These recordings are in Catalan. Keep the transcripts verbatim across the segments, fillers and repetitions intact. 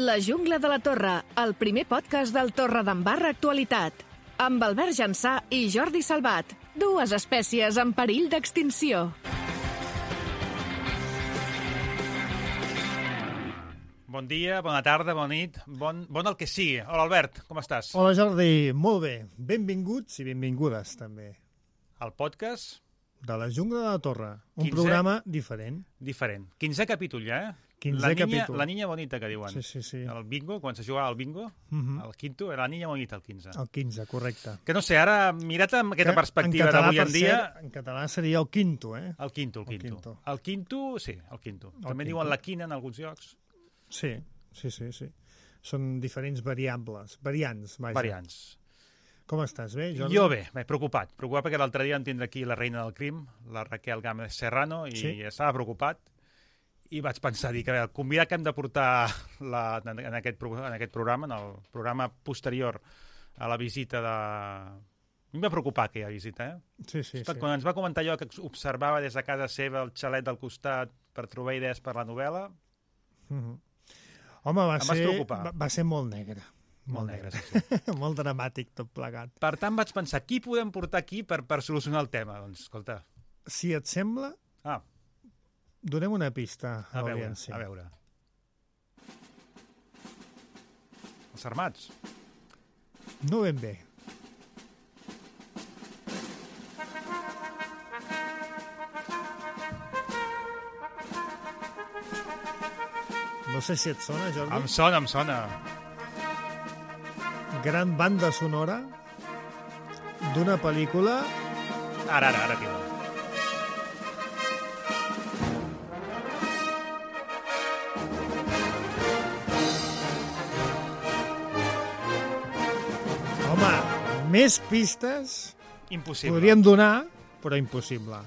La jungla de la Torre, el primer podcast del Torredembarra Actualitat. Amb Albert Jansà i Jordi Salvat, dues espècies en perill d'extinció. Bon dia, bona tarda, bona nit, bon, bon el que sigui. Hola, Albert, com estàs? Hola, Jordi, molt bé. Benvinguts i benvingudes, també. El podcast... De la jungla de la Torre, un quinze... programa diferent. Diferent. quinzè capítol ja, eh? quinzè la niña, capítol. La niña bonita, que diuen. Sí, sí, sí. El bingo, quan se jugava al bingo, uh -huh. el quinto, era la niña bonita, el quinze. El quinze, correcte. Que no sé, ara, mirat amb aquesta que perspectiva d'avui en dia... Ser, en català seria el quinto, eh? El quinto, el quinto. El quinto, el quinto sí, el quinto. El També quinto. diuen la quina en alguns llocs. Sí, sí, sí, sí. Són diferents variables, variants, vaja. Variants. Com estàs, bé, Jordi? Jo bé, bé, preocupat. Preocupat perquè l'altre dia vam tindre aquí la reina del crim, la Raquel Gámez Serrano, i sí? estava preocupat. I vaig pensar, dir que el convidat que hem de portar la, en, aquest, en aquest programa, en el programa posterior a la visita de... A mi em va preocupar aquella visita, eh? Sí, sí, Estat, sí. Quan ens va comentar allò que observava des de casa seva el xalet del costat per trobar idees per la novel·la... Mm-hmm. Home, va ser, va, va ser molt negre. Molt negre, sí, sí. Molt dramàtic, tot plegat. Per tant, vaig pensar, qui podem portar aquí per, per solucionar el tema? Doncs, escolta... Si et sembla... Ah. Donem una pista a, a veure, l'audiència. A veure. Els armats? No ben bé. No sé si et sona, Jordi. Em sona, em sona. Gran banda sonora d'una pel·lícula... Ara, ara, ara, tio. Home, més pistes... Impossible. Podríem donar, però impossible.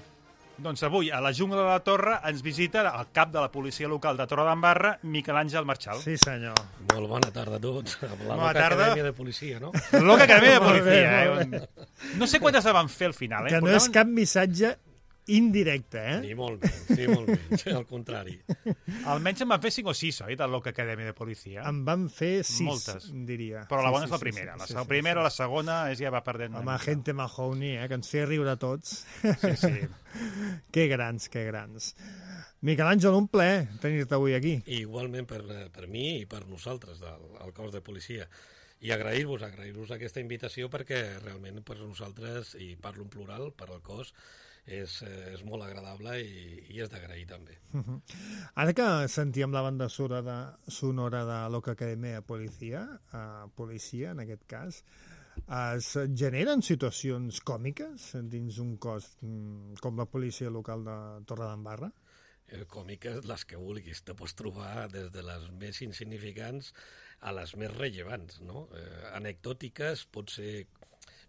Doncs avui, a la jungla de la Torre, ens visita el cap de la policia local de Torredembarra, Miquel Àngel Marchal. Sí, senyor. Molt bona tarda a tots. La bona Loca tarda. Acadèmia de Policia, no? Loca Acadèmia de Molt bé, Policia, eh? No sé quantes la van fer al final, eh? Que no és cap missatge indirecte, eh? Ni molt menys, ni molt menys, al contrari. Almenys en van fer cinc o sis, oi, de Loca Acadèmia de Policia? En van fer sis, moltes, diria. Però la sí, bona sí, és la sí, primera. Sí, la sí, sí, sí, primera o sí. la segona és ja va perdent... Home, gente Mahoney, eh? Que ens feia riure a tots. Sí, sí. Que grans, que grans. Miquel Àngel, un plaer tenir-te avui aquí. I igualment per, per mi i per nosaltres, del, del cos de policia. I agrair-vos, agrair-vos aquesta invitació perquè realment per nosaltres, i parlo en plural, per al cos, és, és molt agradable i, i és d'agrair també. Uh-huh. Ara que sentíem la banda sonora de, sonora de Loca Acadèmia de Policia, uh, policia en aquest cas, es generen situacions còmiques dins un cos um, com la policia local de Torredembarra? Eh, còmiques, les que vulguis. Te pots trobar des de les més insignificants a les més rellevants, no? Eh, anecdòtiques, pot ser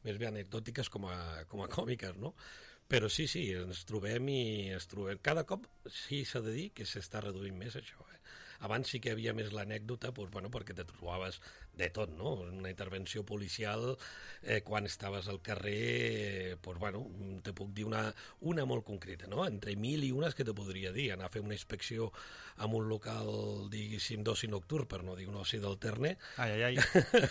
més bé anecdòtiques com a, com a còmiques, no? Però sí, sí, ens trobem i ens trobem. Cada cop sí s'ha de dir que s'està reduint més això. Eh? Abans sí que hi havia més l'anècdota, doncs, bueno, perquè te trobaves de tot, no? Una intervenció policial, eh, quan estaves al carrer, eh, doncs, bueno, te puc dir una, una molt concreta, no? Entre mil i unes que te podria dir, anar a fer una inspecció en un local, diguéssim, d'oci nocturn, per no dir un oci d'alterne, Ai, ai, ai. ai,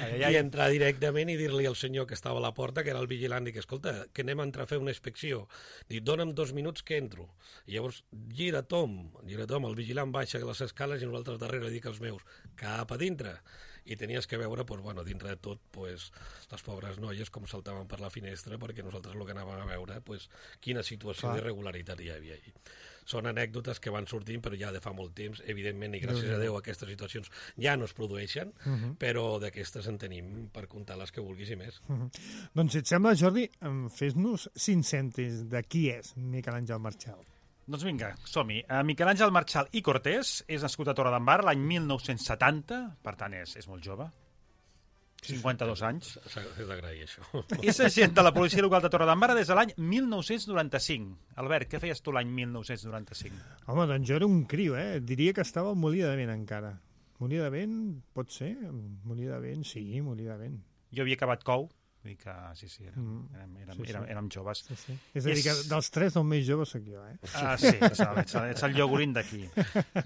ai, ai. i entrar directament i dir-li al senyor que estava a la porta, que era el vigilant, i que, escolta, que anem a entrar a fer una inspecció. Dic, dona'm dos minuts que entro. I llavors, gira Tom, gira Tom, el vigilant baixa les escales i nosaltres darrere dic als meus, cap a dintre. I tenies que veure, pues, bueno, dintre de tot, pues, les pobres noies com saltaven per la finestra, perquè nosaltres el que anàvem a veure, pues, quina situació Clar. d'irregularitat hi havia allí. Són anècdotes que van sortint, però ja de fa molt temps, evidentment, i gràcies a Déu aquestes situacions ja no es produeixen, uh -huh. però d'aquestes en tenim per comptar les que vulguis i més. Uh -huh. Doncs, si et sembla, Jordi, fes-nos cinc cèntims de qui és Miquel Àngel Marchal. Doncs vinga, som-hi. Uh, Miquel Àngel Marchal i Cortés és nascut a Torredembarra l'any mil nou-cents setanta, per tant és, és molt jove, cinquanta-dos anys. S'ha d'agrair, això. És agent de la policia local de Torredembarra des de l'any mil nou-cents noranta-cinc. Albert, què feies tu l'any mil nou-cents noranta-cinc? Home, doncs jo era un criu, eh? Diria que estava al Molí de Vent encara. Molí de Vent, pot ser? Molí de Vent, sí, Molí de Vent. Jo havia acabat cou. Vull dir que, sí, sí, érem, mm. érem, érem, sí, sí. érem, érem joves. Sí, sí. És a dir, que dels tres el més jove sóc jo, eh? Ah, sí, ets el, ets el, ets el llaugurín d'aquí.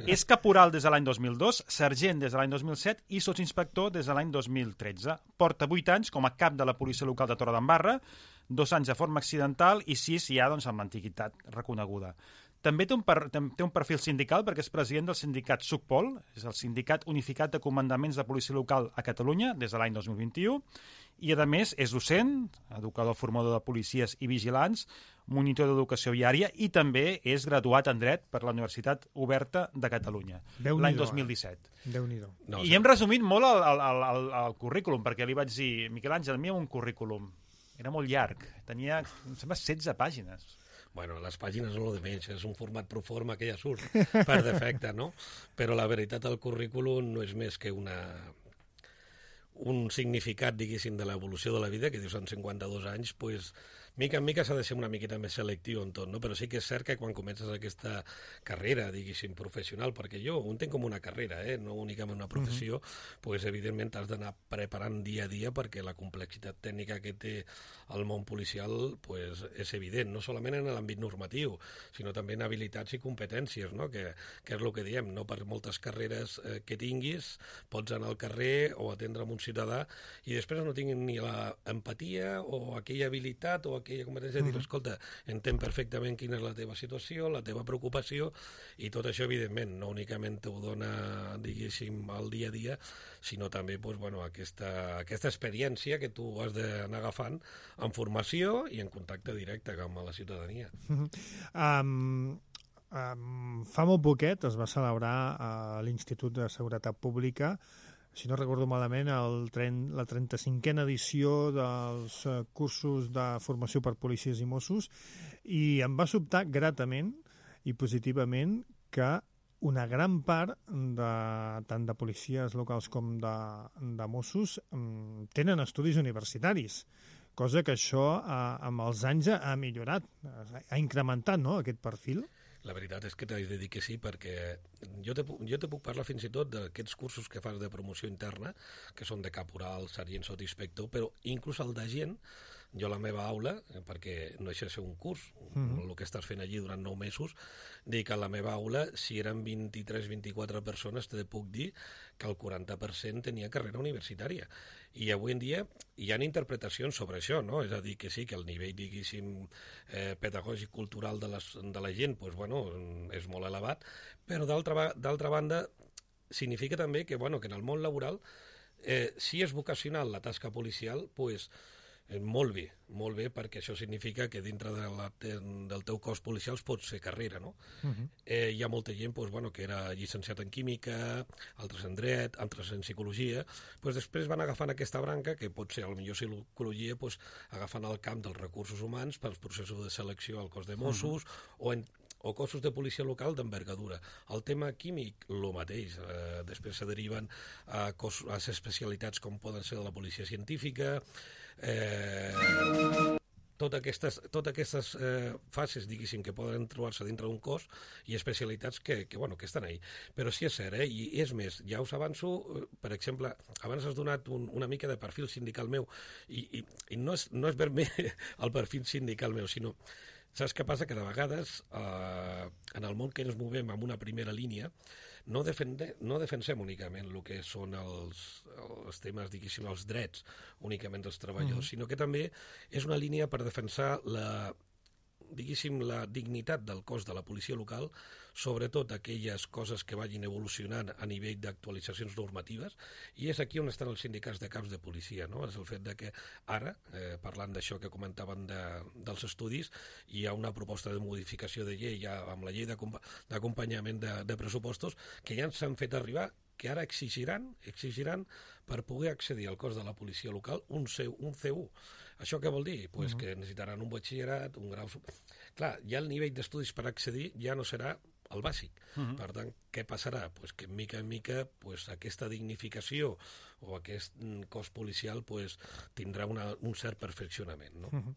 És caporal des de l'any dos mil dos, sergent des de l'any dos mil set i sotsinspector des de l'any dos mil tretze. Porta vuit anys com a cap de la policia local de Torredembarra, dos anys de forma accidental i sis ja doncs, amb l'antiguitat reconeguda. També té un, per, té un perfil sindical perquè és president del sindicat SUCPOL, és el Sindicat Unificat de Comandaments de Policia Local a Catalunya des de l'any dos mil vint-i-u, i a més és docent, educador formador de policies i vigilants, monitor d'educació viària i també és graduat en dret per la Universitat Oberta de Catalunya l'any dos mil disset. Eh? Déu-n'hi-do. No, I hem resumit molt el, el, el, el currículum, perquè li vaig dir, Miquel Àngel, mi un currículum. Era molt llarg, tenia, em sembla, setze pàgines. Bueno, les pàgines no lo de menys, és un format pro forma que ja surt per defecte, no? Però la veritat, el currículum no és més que una un significat, diguéssim, de l'evolució de la vida, que dius en cinquanta-dos anys, pues, mica en mica s'ha de ser una miqueta més selectiu en tot, no? Però sí que és cert que quan comences aquesta carrera, diguéssim, professional, perquè jo ho entenc com una carrera, eh? No únicament una professió, uh-huh. pues, evidentment t'has d'anar preparant dia a dia perquè la complexitat tècnica que té el món policial pues, és evident, no solament en l'àmbit normatiu, sinó també en habilitats i competències, no? Que, que és el que diem, no per moltes carreres eh, que tinguis, pots anar al carrer o atendre un ciutadà i després no tinguin ni l'empatia o aquella habilitat o aquella competència de dir, escolta, entenc perfectament quina és la teva situació, la teva preocupació, i tot això, evidentment, no únicament t'ho dona, diguéssim, al dia a dia, sinó també pues, bueno, aquesta, aquesta experiència que tu has d'anar agafant en formació i en contacte directe amb la ciutadania. Uh-huh. Um... Um, fa molt poquet es va celebrar a l'Institut de Seguretat Pública, si no recordo malament, el tren, la trenta-cinquena edició dels uh, cursos de formació per policies i Mossos, i em va sobtar gratament i positivament que una gran part, de, tant de policies locals com de, de Mossos, um, tenen estudis universitaris, cosa que això uh, amb els anys ha millorat, ha incrementat, no?, aquest perfil. La veritat és que t'haig de dir que sí, perquè jo te, jo te puc parlar fins i tot d'aquests cursos que fas de promoció interna, que són de caporal, sergent, sotsinspector, però inclús el d'agent, jo a la meva aula, perquè no deixa de ser un curs, mm-hmm. el que estàs fent allí durant nou mesos, dic que a la meva aula, si eren vint-i-tres vint-i-quatre persones, te puc dir que el quaranta per cent tenia carrera universitària. I avui en dia hi ha interpretacions sobre això, no? És a dir, que sí, que el nivell, diguéssim, eh, pedagògic, cultural de, les, de la gent, pues, bueno, és molt elevat, però d'altra banda significa també que, bueno, que en el món laboral, eh, si és vocacional la tasca policial, pues, eh, molt bé, molt bé, perquè això significa que dintre de la, del teu cos policial pots fer carrera, no? Uh-huh. eh, hi ha molta gent pues, bueno, que era llicenciat en química, altres en dret, altres en psicologia, pues, després van agafant aquesta branca, que pot ser, potser psicologia, pues, agafant el camp dels recursos humans pels processos de selecció al cos de Mossos, uh-huh. o en o cossos de policia local d'envergadura. El tema químic, el mateix. Eh, després se deriven a, cos, a especialitats com poden ser de la policia científica, eh, totes aquestes, totes aquestes eh, fases, diguéssim, que poden trobar-se dintre d'un cos i especialitats que, que, bueno, que estan ahí. Però sí és cert, eh? I és més, ja us avanço, per exemple, abans has donat un, una mica de perfil sindical meu, i, i, i no és, no és ver-me el perfil sindical meu, sinó saps què passa? Que de vegades eh, en el món que ens movem amb una primera línia no, defende, no defensem únicament el que són els, els temes, diguéssim, els drets únicament dels treballadors, mm. sinó que també és una línia per defensar la, diguéssim, la dignitat del cos de la policia local, sobretot aquelles coses que vagin evolucionant a nivell d'actualitzacions normatives, i és aquí on estan els sindicats de caps de policia, no? És el fet de que ara, eh, parlant d'això que comentaven de, dels estudis, hi ha una proposta de modificació de llei ja amb la llei d'acompanyament de, de pressupostos que ja ens han fet arribar, que ara exigiran, exigiran per poder accedir al cos de la policia local un, C, un C u. Això què vol dir? Pues uh-huh. que necessitaran un batxillerat, un grau... Clar, ja el nivell d'estudis per accedir ja no serà el bàsic. Uh-huh. Per tant, què passarà? Pues que mica en mica pues, aquesta dignificació o aquest cos policial pues, tindrà una, un cert perfeccionament. No? Uh-huh.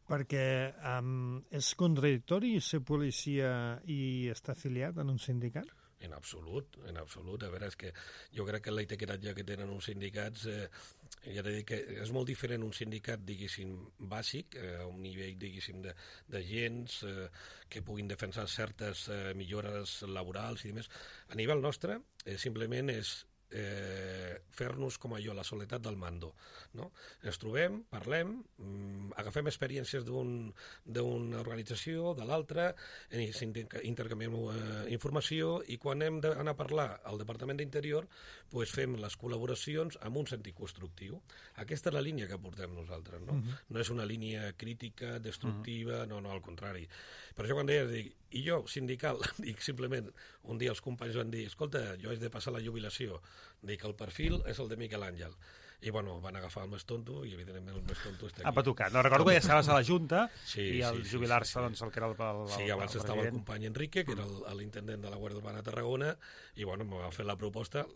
Perquè um, és contradictori ser policia i estar afiliat en un sindicat? En absolut, en absolut. A veure, és que jo crec que l'etiquetatge que tenen uns sindicats, eh, ja t'he dit que és molt diferent un sindicat, diguéssim, bàsic, eh, a un nivell, diguéssim, de, de gens eh, que puguin defensar certes eh, millores laborals i demés. A nivell nostre, eh, simplement és eh, fer-nos com allò, la soledat del mando, no? Ens trobem, parlem, mm, agafem experiències d'un, d'una organització, de l'altra, intercanviem eh, informació i quan hem d'anar a parlar al Departament d'Interior pues fem les col·laboracions amb un sentit constructiu. Aquesta és la línia que portem nosaltres, no? Uh-huh. No és una línia crítica, destructiva, uh-huh. no, no, al contrari. Per això quan deies, dic, i jo, sindical, dic simplement, un dia els companys van dir, escolta, jo haig de passar la jubilació, dic, el perfil és el de Miquel Àngel. I, bueno, van agafar el més tonto i, evidentment, el més tonto està aquí. Ha patucat. No, recordo que ja estaves a la Junta sí, i al sí, jubilar-se, sí, sí, sí. doncs, el que era el, el, el Sí, abans el estava el president. company Enrique, que era l'intendent de la Guàrdia Urbana de Tarragona, i, bueno, me va fer la proposta.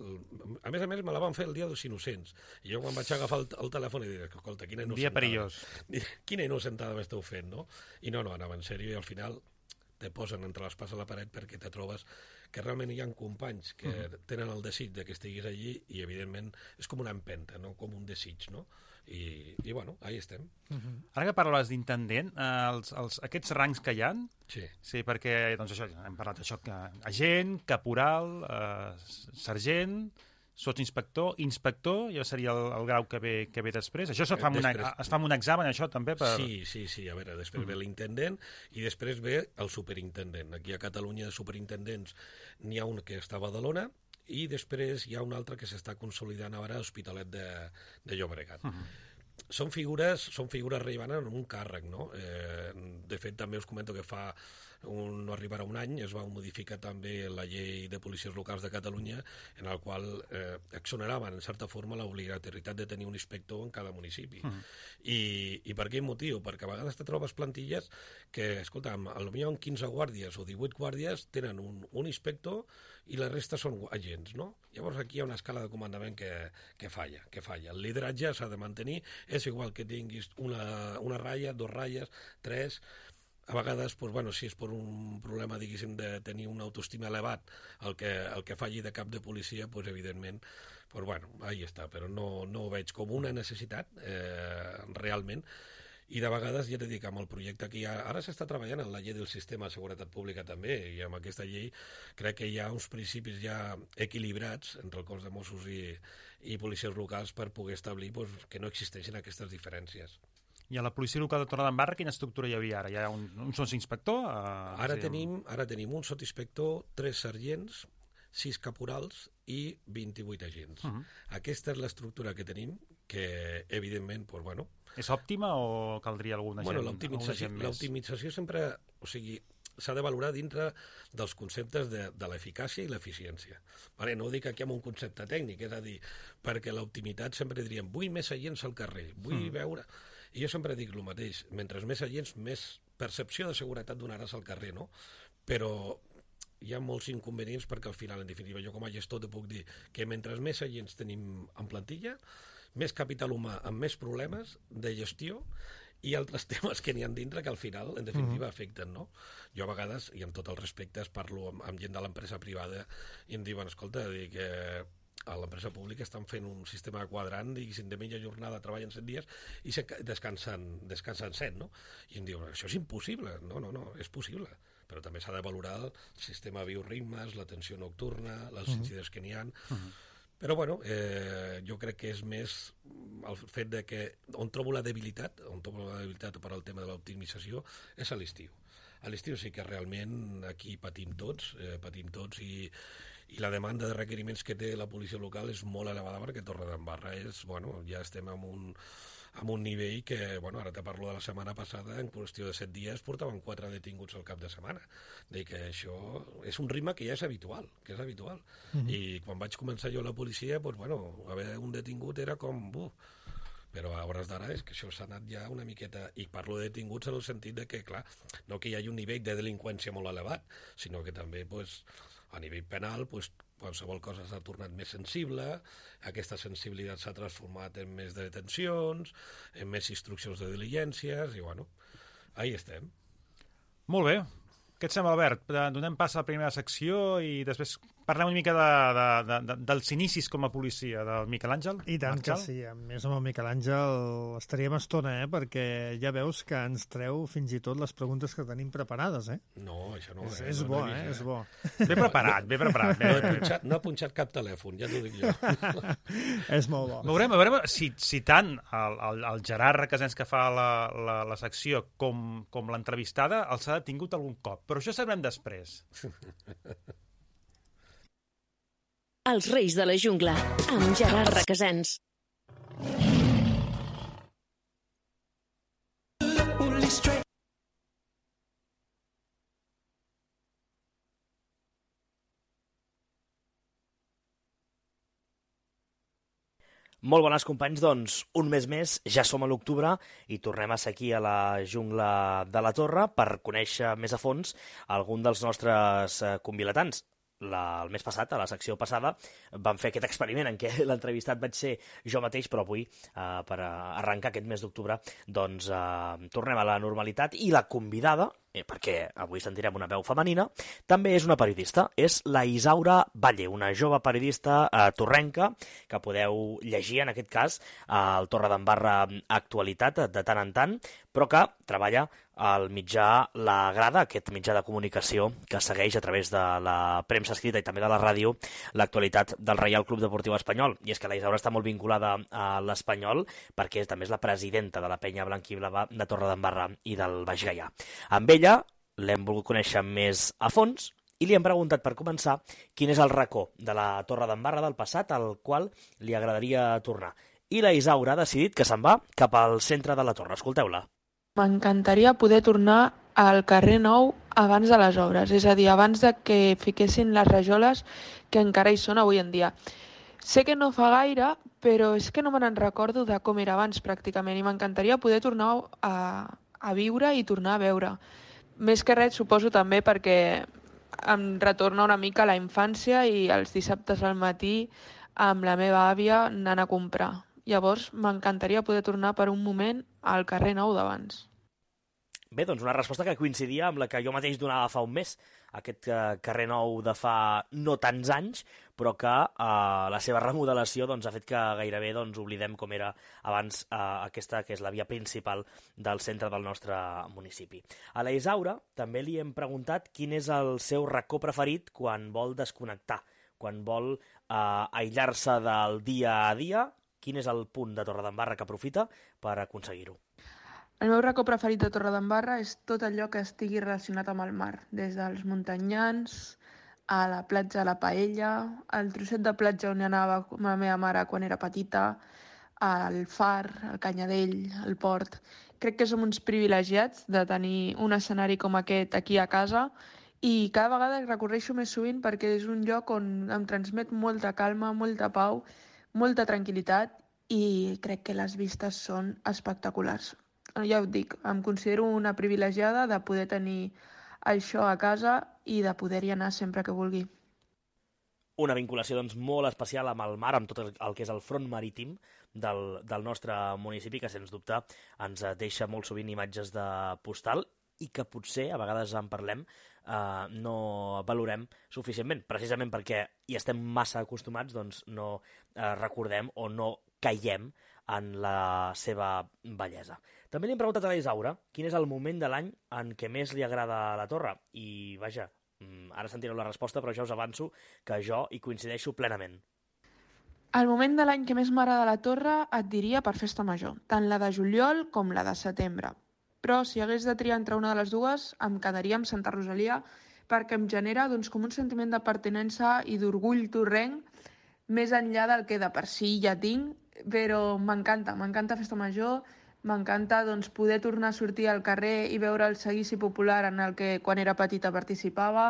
A més a més, me la van fer el dia dels innocents. I jo, quan vaig agafar el, el telèfon, i dic, escolta, quina innocentada. Dia perillós. Quina innocentada m'esteu fent, no? I no, no, anava en sèrio, i al final te posen entre l'espàs a la paret perquè te trobes que realment hi ha companys que uh-huh. tenen el desig de que estiguis allí i, evidentment, és com una empenta, no? Com un desig, no? I, i bueno, ahí estem. Uh-huh. Ara que parlaves d'intendent, eh, els, els, aquests rangs que hi ha, sí. sí, perquè doncs això, hem parlat d'això, que agent, caporal, eh, sergent, sotsinspector, inspector, ja seria el, el grau que ve, que ve després. Això es fa, amb després... una, es fa amb un examen, això, també? Per... Sí, sí, sí. A veure, després mm. ve l'intendent i després ve el superintendent. Aquí a Catalunya de superintendents n'hi ha un que està a Badalona i després hi ha un altre que s'està consolidant ara a l'Hospitalet de, de Llobregat. Mm. Són figures, són figures rellevants en un càrrec, no? Eh, de fet, també us comento que fa un, no arribarà un any, es va modificar també la llei de policies locals de Catalunya, en el qual eh, exoneraven, en certa forma, l'obligatorietat de tenir un inspector en cada municipi. Mm. I, I per quin motiu? Perquè a vegades te trobes plantilles que, escolta, potser en quinze guàrdies o divuit guàrdies tenen un, un inspector i la resta són agents, no? Llavors aquí hi ha una escala de comandament que, que falla, que falla. El lideratge s'ha de mantenir, és igual que tinguis una, una ratlla, dos ratlles, tres... A vegades, doncs, bueno, si és per un problema, diguéssim, de tenir una autoestima elevat, el que, el que falli de cap de policia, doncs, evidentment, doncs, bueno, ahí està, però no, no ho veig com una necessitat, eh, realment, i de vegades, ja t'he dit, amb el projecte que hi ha, ara s'està treballant en la llei del sistema de seguretat pública també, i amb aquesta llei crec que hi ha uns principis ja equilibrats entre el cos de Mossos i, i policies locals per poder establir doncs, que no existeixin aquestes diferències. I a la policia local de Torredembarra quina estructura hi havia ara? Hi ha un, un sotsinspector? Eh, ara, sí, tenim, ara tenim un sotsinspector, tres sergents, sis caporals i vint-i-vuit agents. Uh-huh. Aquesta és l'estructura que tenim, que evidentment, doncs, bueno... És òptima o caldria alguna bueno, gent, l'optimització, gent més? L'optimització sempre... O sigui, s'ha de valorar dintre dels conceptes de, de l'eficàcia i l'eficiència. Vale, no ho dic aquí amb un concepte tècnic, és a dir, perquè l'optimitat sempre diríem vull més agents al carrer, vull mm. veure... I jo sempre dic el mateix, mentre més agents, més percepció de seguretat donaràs al carrer, no? Però hi ha molts inconvenients perquè al final, en definitiva, jo com a gestor te puc dir que mentre més agents tenim en plantilla, més capital humà amb més problemes de gestió i altres temes que n'hi ha dintre que al final, en definitiva, afecten, no? Jo a vegades, i amb tot el respecte, parlo amb, amb gent de l'empresa privada i em diuen, escolta, dic, eh, a l'empresa pública estan fent un sistema quadrant, diguéssim, de mitja jornada treballen set dies i se descansen, descansen set, no? I em diuen, això és impossible. No, no, no, és possible. Però també s'ha de valorar el sistema de bioritmes, l'atenció nocturna, les uh-huh. incidents que n'hi ha. Uh-huh. Però, bueno, eh, jo crec que és més el fet de que on trobo la debilitat, on trobo la debilitat per al tema de l'optimització, és a l'estiu. A l'estiu sí que realment aquí patim tots, eh, patim tots i i la demanda de requeriments que té la policia local és molt elevada perquè Torredembarra és, bueno, ja estem en un, en un nivell que, bueno, ara te parlo de la setmana passada, en qüestió de set dies portaven quatre detinguts al cap de setmana. Dic que això és un ritme que ja és habitual, que és habitual. Mm-hmm. I quan vaig començar jo a la policia, doncs, bueno, haver un detingut era com... Buf, però a hores d'ara és que això s'ha anat ja una miqueta, i parlo de detinguts en el sentit de que, clar, no que hi hagi un nivell de delinqüència molt elevat, sinó que també, pues, a nivell penal, pues, qualsevol cosa s'ha tornat més sensible, aquesta sensibilitat s'ha transformat en més detencions, en més instruccions de diligències, i bueno, ahí estem. Molt bé. Què et sembla, Albert? Donem pas a la primera secció i després parlem una mica de, de, de, de, dels inicis com a policia del Miquel Àngel. I tant Marchal. que sí, a més amb el Miquel Àngel estaríem estona, eh? Perquè ja veus que ens treu fins i tot les preguntes que tenim preparades, eh? No, això no. És, eh? és no, bo, no eh? vist, És bo. Ben preparat, ben preparat. No he, punxat, no he punxat cap telèfon, ja t'ho dic jo. És molt bo. Veurem, a veure si, si tant el, el, el Gerard Requesens que fa la, la, la secció com, com l'entrevistada els ha detingut algun cop, però això sabrem després. Els Reis de la Jungla, amb Gerard Requesens. Molt bones, companys, doncs un mes més, ja som a l'octubre i tornem a ser aquí a la jungla de la Torre per conèixer més a fons algun dels nostres convilatants. La, el mes passat, a la secció passada, vam fer aquest experiment en què l'entrevistat vaig ser jo mateix, però avui, eh, per arrencar aquest mes d'octubre, doncs eh, tornem a la normalitat i la convidada, eh, perquè avui sentirem una veu femenina, també és una periodista, és la Isaura Valle, una jove periodista eh, torrenca, que podeu llegir en aquest cas al Torredembarra Actualitat de tant en tant, però que treballa al mitjà La Grada, aquest mitjà de comunicació que segueix a través de la premsa escrita i també de la ràdio l'actualitat del Reial Club Deportiu Espanyol. I és que la Isaura està molt vinculada a l'Espanyol perquè també és la presidenta de la penya blanquiblava de Torredembarra i del Baix Gaià. Amb ella l'hem volgut conèixer més a fons i li hem preguntat, per començar, quin és el racó de la Torredembarra del passat al qual li agradaria tornar. I la Isaura ha decidit que se'n va cap al centre de la Torre. Escolteu-la. M'encantaria poder tornar al carrer Nou abans de les obres, és a dir, abans de que fiquessin les rajoles que encara hi són avui en dia. Sé que no fa gaire, però és que no me n'en recordo de com era abans pràcticament i m'encantaria poder tornar a, a viure i tornar a veure. Més que res, suposo també perquè em retorna una mica a la infància i els dissabtes al matí amb la meva àvia anant a comprar. Llavors, m'encantaria poder tornar per un moment al carrer Nou d'abans. Bé, doncs una resposta que coincidia amb la que jo mateix donava fa un mes, aquest eh, carrer Nou de fa no tants anys, però que eh, la seva remodelació doncs, ha fet que gairebé doncs, oblidem com era abans eh, aquesta, que és la via principal del centre del nostre municipi. A la Isaura també li hem preguntat quin és el seu racó preferit quan vol desconnectar, quan vol eh, aïllar-se del dia a dia. Quin és el punt de Torredembarra que aprofita per aconseguir-ho? El meu racó preferit de Torredembarra és tot allò que estigui relacionat amb el mar, des dels muntanyans, a la platja de la Paella, al trosset de platja on anava amb la meva mare quan era petita, al far, al Canyadell, al port. Crec que som uns privilegiats de tenir un escenari com aquest aquí a casa i cada vegada el recorreixo més sovint perquè és un lloc on em transmet molta calma, molta pau, molta tranquil·litat i crec que les vistes són espectaculars. Ja ho dic, em considero una privilegiada de poder tenir això a casa i de poder-hi anar sempre que vulgui. Una vinculació doncs, molt especial amb el mar, amb tot el, el que és el front marítim del, del nostre municipi, que sens dubte ens deixa molt sovint imatges de postal i que potser, a vegades en parlem, Uh, no valorem suficientment, precisament perquè hi estem massa acostumats, doncs no uh, recordem o no caiem en la seva bellesa. També li hem preguntat a la Isaura quin és el moment de l'any en què més li agrada la Torre i, vaja, ara sentireu la resposta, però ja us avanço que jo hi coincideixo plenament. El moment de l'any que més m'agrada la Torre et diria per Festa Major, tant la de juliol com la de setembre. Però si hagués de triar entre una de les dues, em quedaria amb Santa Rosalia perquè em genera doncs, com un sentiment de pertinença i d'orgull torrenc més enllà del que de per si ja tinc, però m'encanta, m'encanta Festa Major, m'encanta doncs, poder tornar a sortir al carrer i veure el seguici popular en el que quan era petita participava,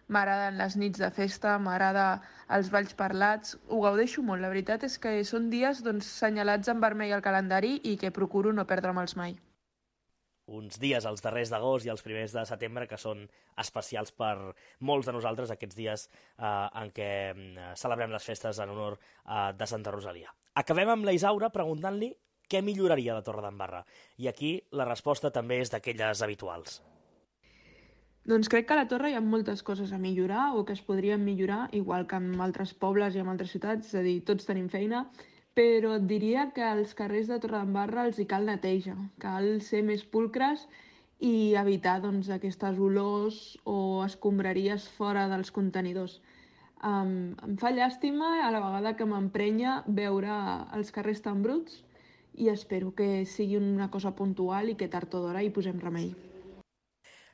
m'agraden les nits de festa, m'agrada els balls parlats, ho gaudeixo molt, la veritat és que són dies doncs, senyalats en vermell al calendari i que procuro no perdre'ls mai. Uns dies, els darrers d'agost i els primers de setembre, que són especials per molts de nosaltres, aquests dies eh, en què eh, celebrem les festes en honor eh, de Santa Rosalia. Acabem amb la Isaura preguntant-li què milloraria de Torredembarra. I aquí la resposta també és d'aquelles habituals. Doncs crec que a la Torre hi ha moltes coses a millorar o que es podrien millorar, igual que en altres pobles i en altres ciutats, és a dir, tots tenim feina, però et diria que als carrers de Torredembarra els hi cal neteja, cal ser més pulcres i evitar doncs, aquestes olors o escombraries fora dels contenidors. Um, em fa llàstima a la vegada que m'emprenya veure els carrers tan bruts i espero que sigui una cosa puntual i que tard o d'hora hi posem remei.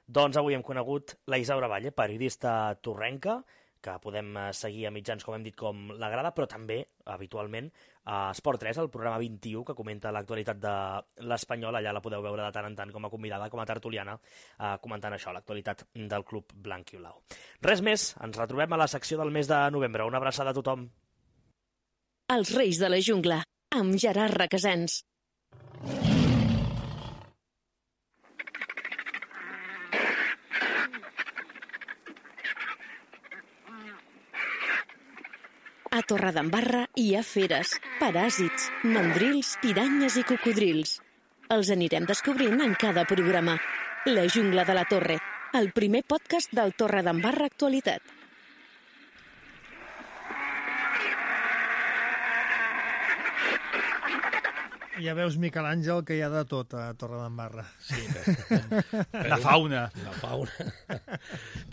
Doncs avui hem conegut la Isaura Valle, periodista torrenca, que podem seguir a mitjans, com hem dit, com La Grada, però també, habitualment, a Esport tres, el programa vint-i-u, que comenta l'actualitat de l'Espanyol. Allà la podeu veure de tant en tant com a convidada, com a tertuliana, eh, comentant això, l'actualitat del club blanc i blau. Res més, ens retrobem a la secció del mes de novembre. Una abraçada a tothom. Els Reis de la Jungla, amb Gerard Requesens. A Torredembarra hi ha feres, paràsits, mandrils, piranyes i cocodrils. Els anirem descobrint en cada programa. La Jungla de la Torre, el primer podcast del Torredembarra Actualitat. Ja veus, Miquel Àngel, que hi ha de tot a Torredembarra. Sí, per, la fauna. La fauna.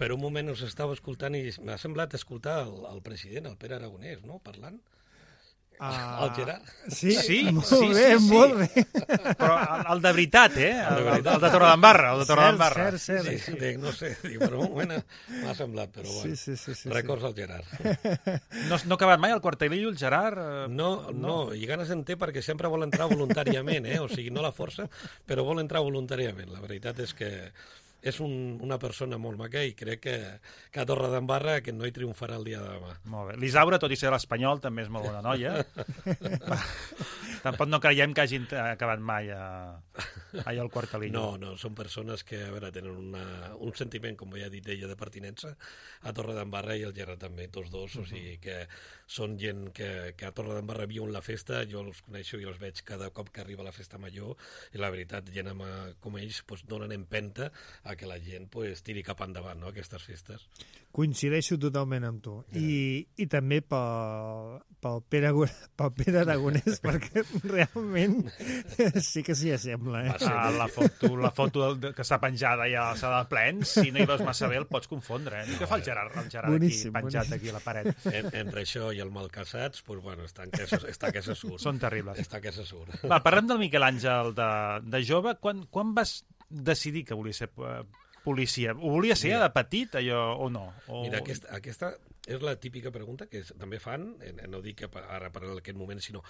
Per un moment us estava escoltant i m'ha semblat escoltar el, el president, el Pere Aragonès, no?, parlant. Uh, el Gerard. Sí, sí, molt sí, bé, sí, sí. molt bé. Però el, el de veritat, eh? El, el, el de Torredembarra, el de Torredembarra. Cert, cert, cert. Sí, dic, no sé, dic, per un moment m'ha semblat, però bueno, sí, sí, sí, sí, records sí. al Gerard. No, no ha acabat mai el quartelillo, el Gerard? No, no, i ganes en té perquè sempre vol entrar voluntàriament, eh? O sigui, no la força, però vol entrar voluntàriament. La veritat és que és un, una persona molt maca i crec que, que a Torredembarra que no hi triomfarà el dia de demà. Molt bé. L'Isaura, tot i ser l'Espanyol, també és molt bona noia. Tampoc no creiem que hagin acabat mai a, allà al quartelillo. No, no, són persones que, a veure, tenen una, un sentiment, com ja ha dit ella, de pertinença a Torredembarra i el Gerard també, tots dos, uh -huh. O sigui que són gent que, que a Torredembarra viuen la festa, jo els coneixo i els veig cada cop que arriba la festa major i la veritat, gent amb, com ells pues, donen empenta a que la gent pues, tiri cap endavant, no?, aquestes festes. Coincideixo totalment amb tu. I, i també pel, pel, Pere, pel Pere Aragonès, perquè realment sí que s'hi assembla. Eh? Ah, la foto, la foto que està penjada ja a la sala de plens, si no hi veus massa bé el pots confondre. Eh? Què fa el Gerard, el Gerard boníssim, aquí, penjat boníssim. Aquí a la paret? En, entre això i el malcaçats, pues, bueno, està, que se, està que se surt. Són terribles. Està que se surt. Va, parlem del Miquel Àngel de, de jove. Quan, quan vas decidir que volia ser policia? Ho volia ser Mira, de petit, allò, o no? O... Mira, aquesta, aquesta és la típica pregunta que també fan, no dic que ara per aquest moment, sinó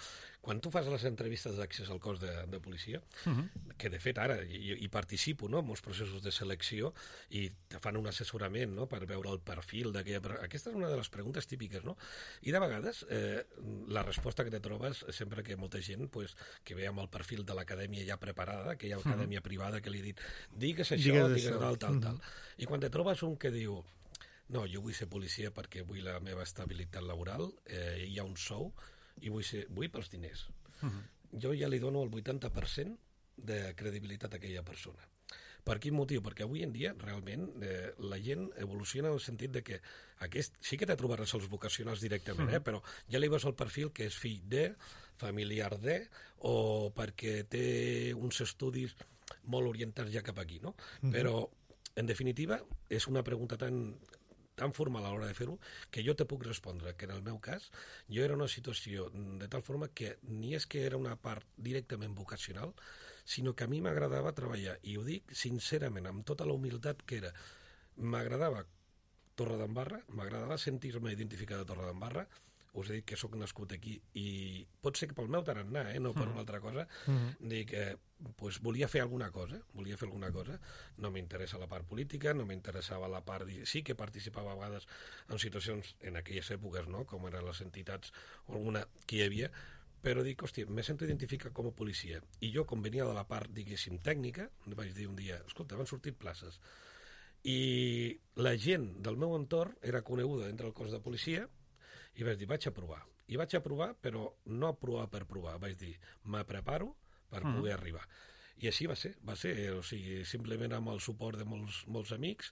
quan tu fas les entrevistes d'accés al cos de, de policia, uh -huh. que de fet ara hi, hi participo, no?, en molts processos de selecció i te fan un assessorament, no?, per veure el perfil d'aquella... Aquesta és una de les preguntes típiques, no? I de vegades eh, la resposta que te trobes sempre que molta gent pues, que ve amb el perfil de l'acadèmia ja preparada, que hi ha acadèmia uh -huh. privada que li ha dit digues això, digues, digues tal, tal, uh -huh. tal. I quan te trobes un que diu no, jo vull ser policia perquè vull la meva estabilitat laboral, eh, hi ha un sou i vull, ser, vull pels diners. Uh -huh. Jo ja li dono el vuitanta per cent de credibilitat a aquella persona. Per quin motiu? Perquè avui en dia, realment, eh, la gent evoluciona en el sentit de que aquest, sí que te trobaràs els vocacionals directament, uh -huh. eh, però ja li veus el perfil que és fill de, familiar de, o perquè té uns estudis molt orientats ja cap aquí, no? Uh -huh. Però, en definitiva, és una pregunta tan... tan formal a l'hora de fer-ho, que jo te puc respondre que en el meu cas jo era una situació de tal forma que ni és que era una part directament vocacional, sinó que a mi m'agradava treballar, i ho dic sincerament, amb tota la humilitat que era. M'agradava Torredembarra, m'agradava sentir-me identificat a Torredembarra, us he dit que sóc nascut aquí, i pot ser que pel meu tarannà, eh, no per una altra cosa, mm. dic que eh, pues, volia fer alguna cosa, volia fer alguna cosa, no m'interessa la part política, no m'interessava la part... Sí que participava a vegades en situacions, en aquelles èpoques, no?, com eren les entitats, o alguna que hi havia, però dic, hòstia, me sento identificat com a policia. I jo, com venia de la part, diguéssim, tècnica, vaig dir un dia, escolta, van sortir places. I la gent del meu entorn era coneguda entre el cos de policia, i vaig dir, vaig a provar. I vaig a provar, però no a provar per provar. Vaig dir, me preparo per poder mm. arribar. I així va ser, va ser, o sigui, simplement amb el suport de molts, molts amics,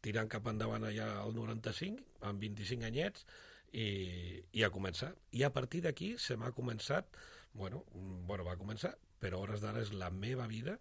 tirant cap endavant allà al noranta-cinc, amb vint-i-cinc anyets, i, i a començar. I a partir d'aquí se m'ha començat, bueno, bueno, va començar, però a hores d'ara és la meva vida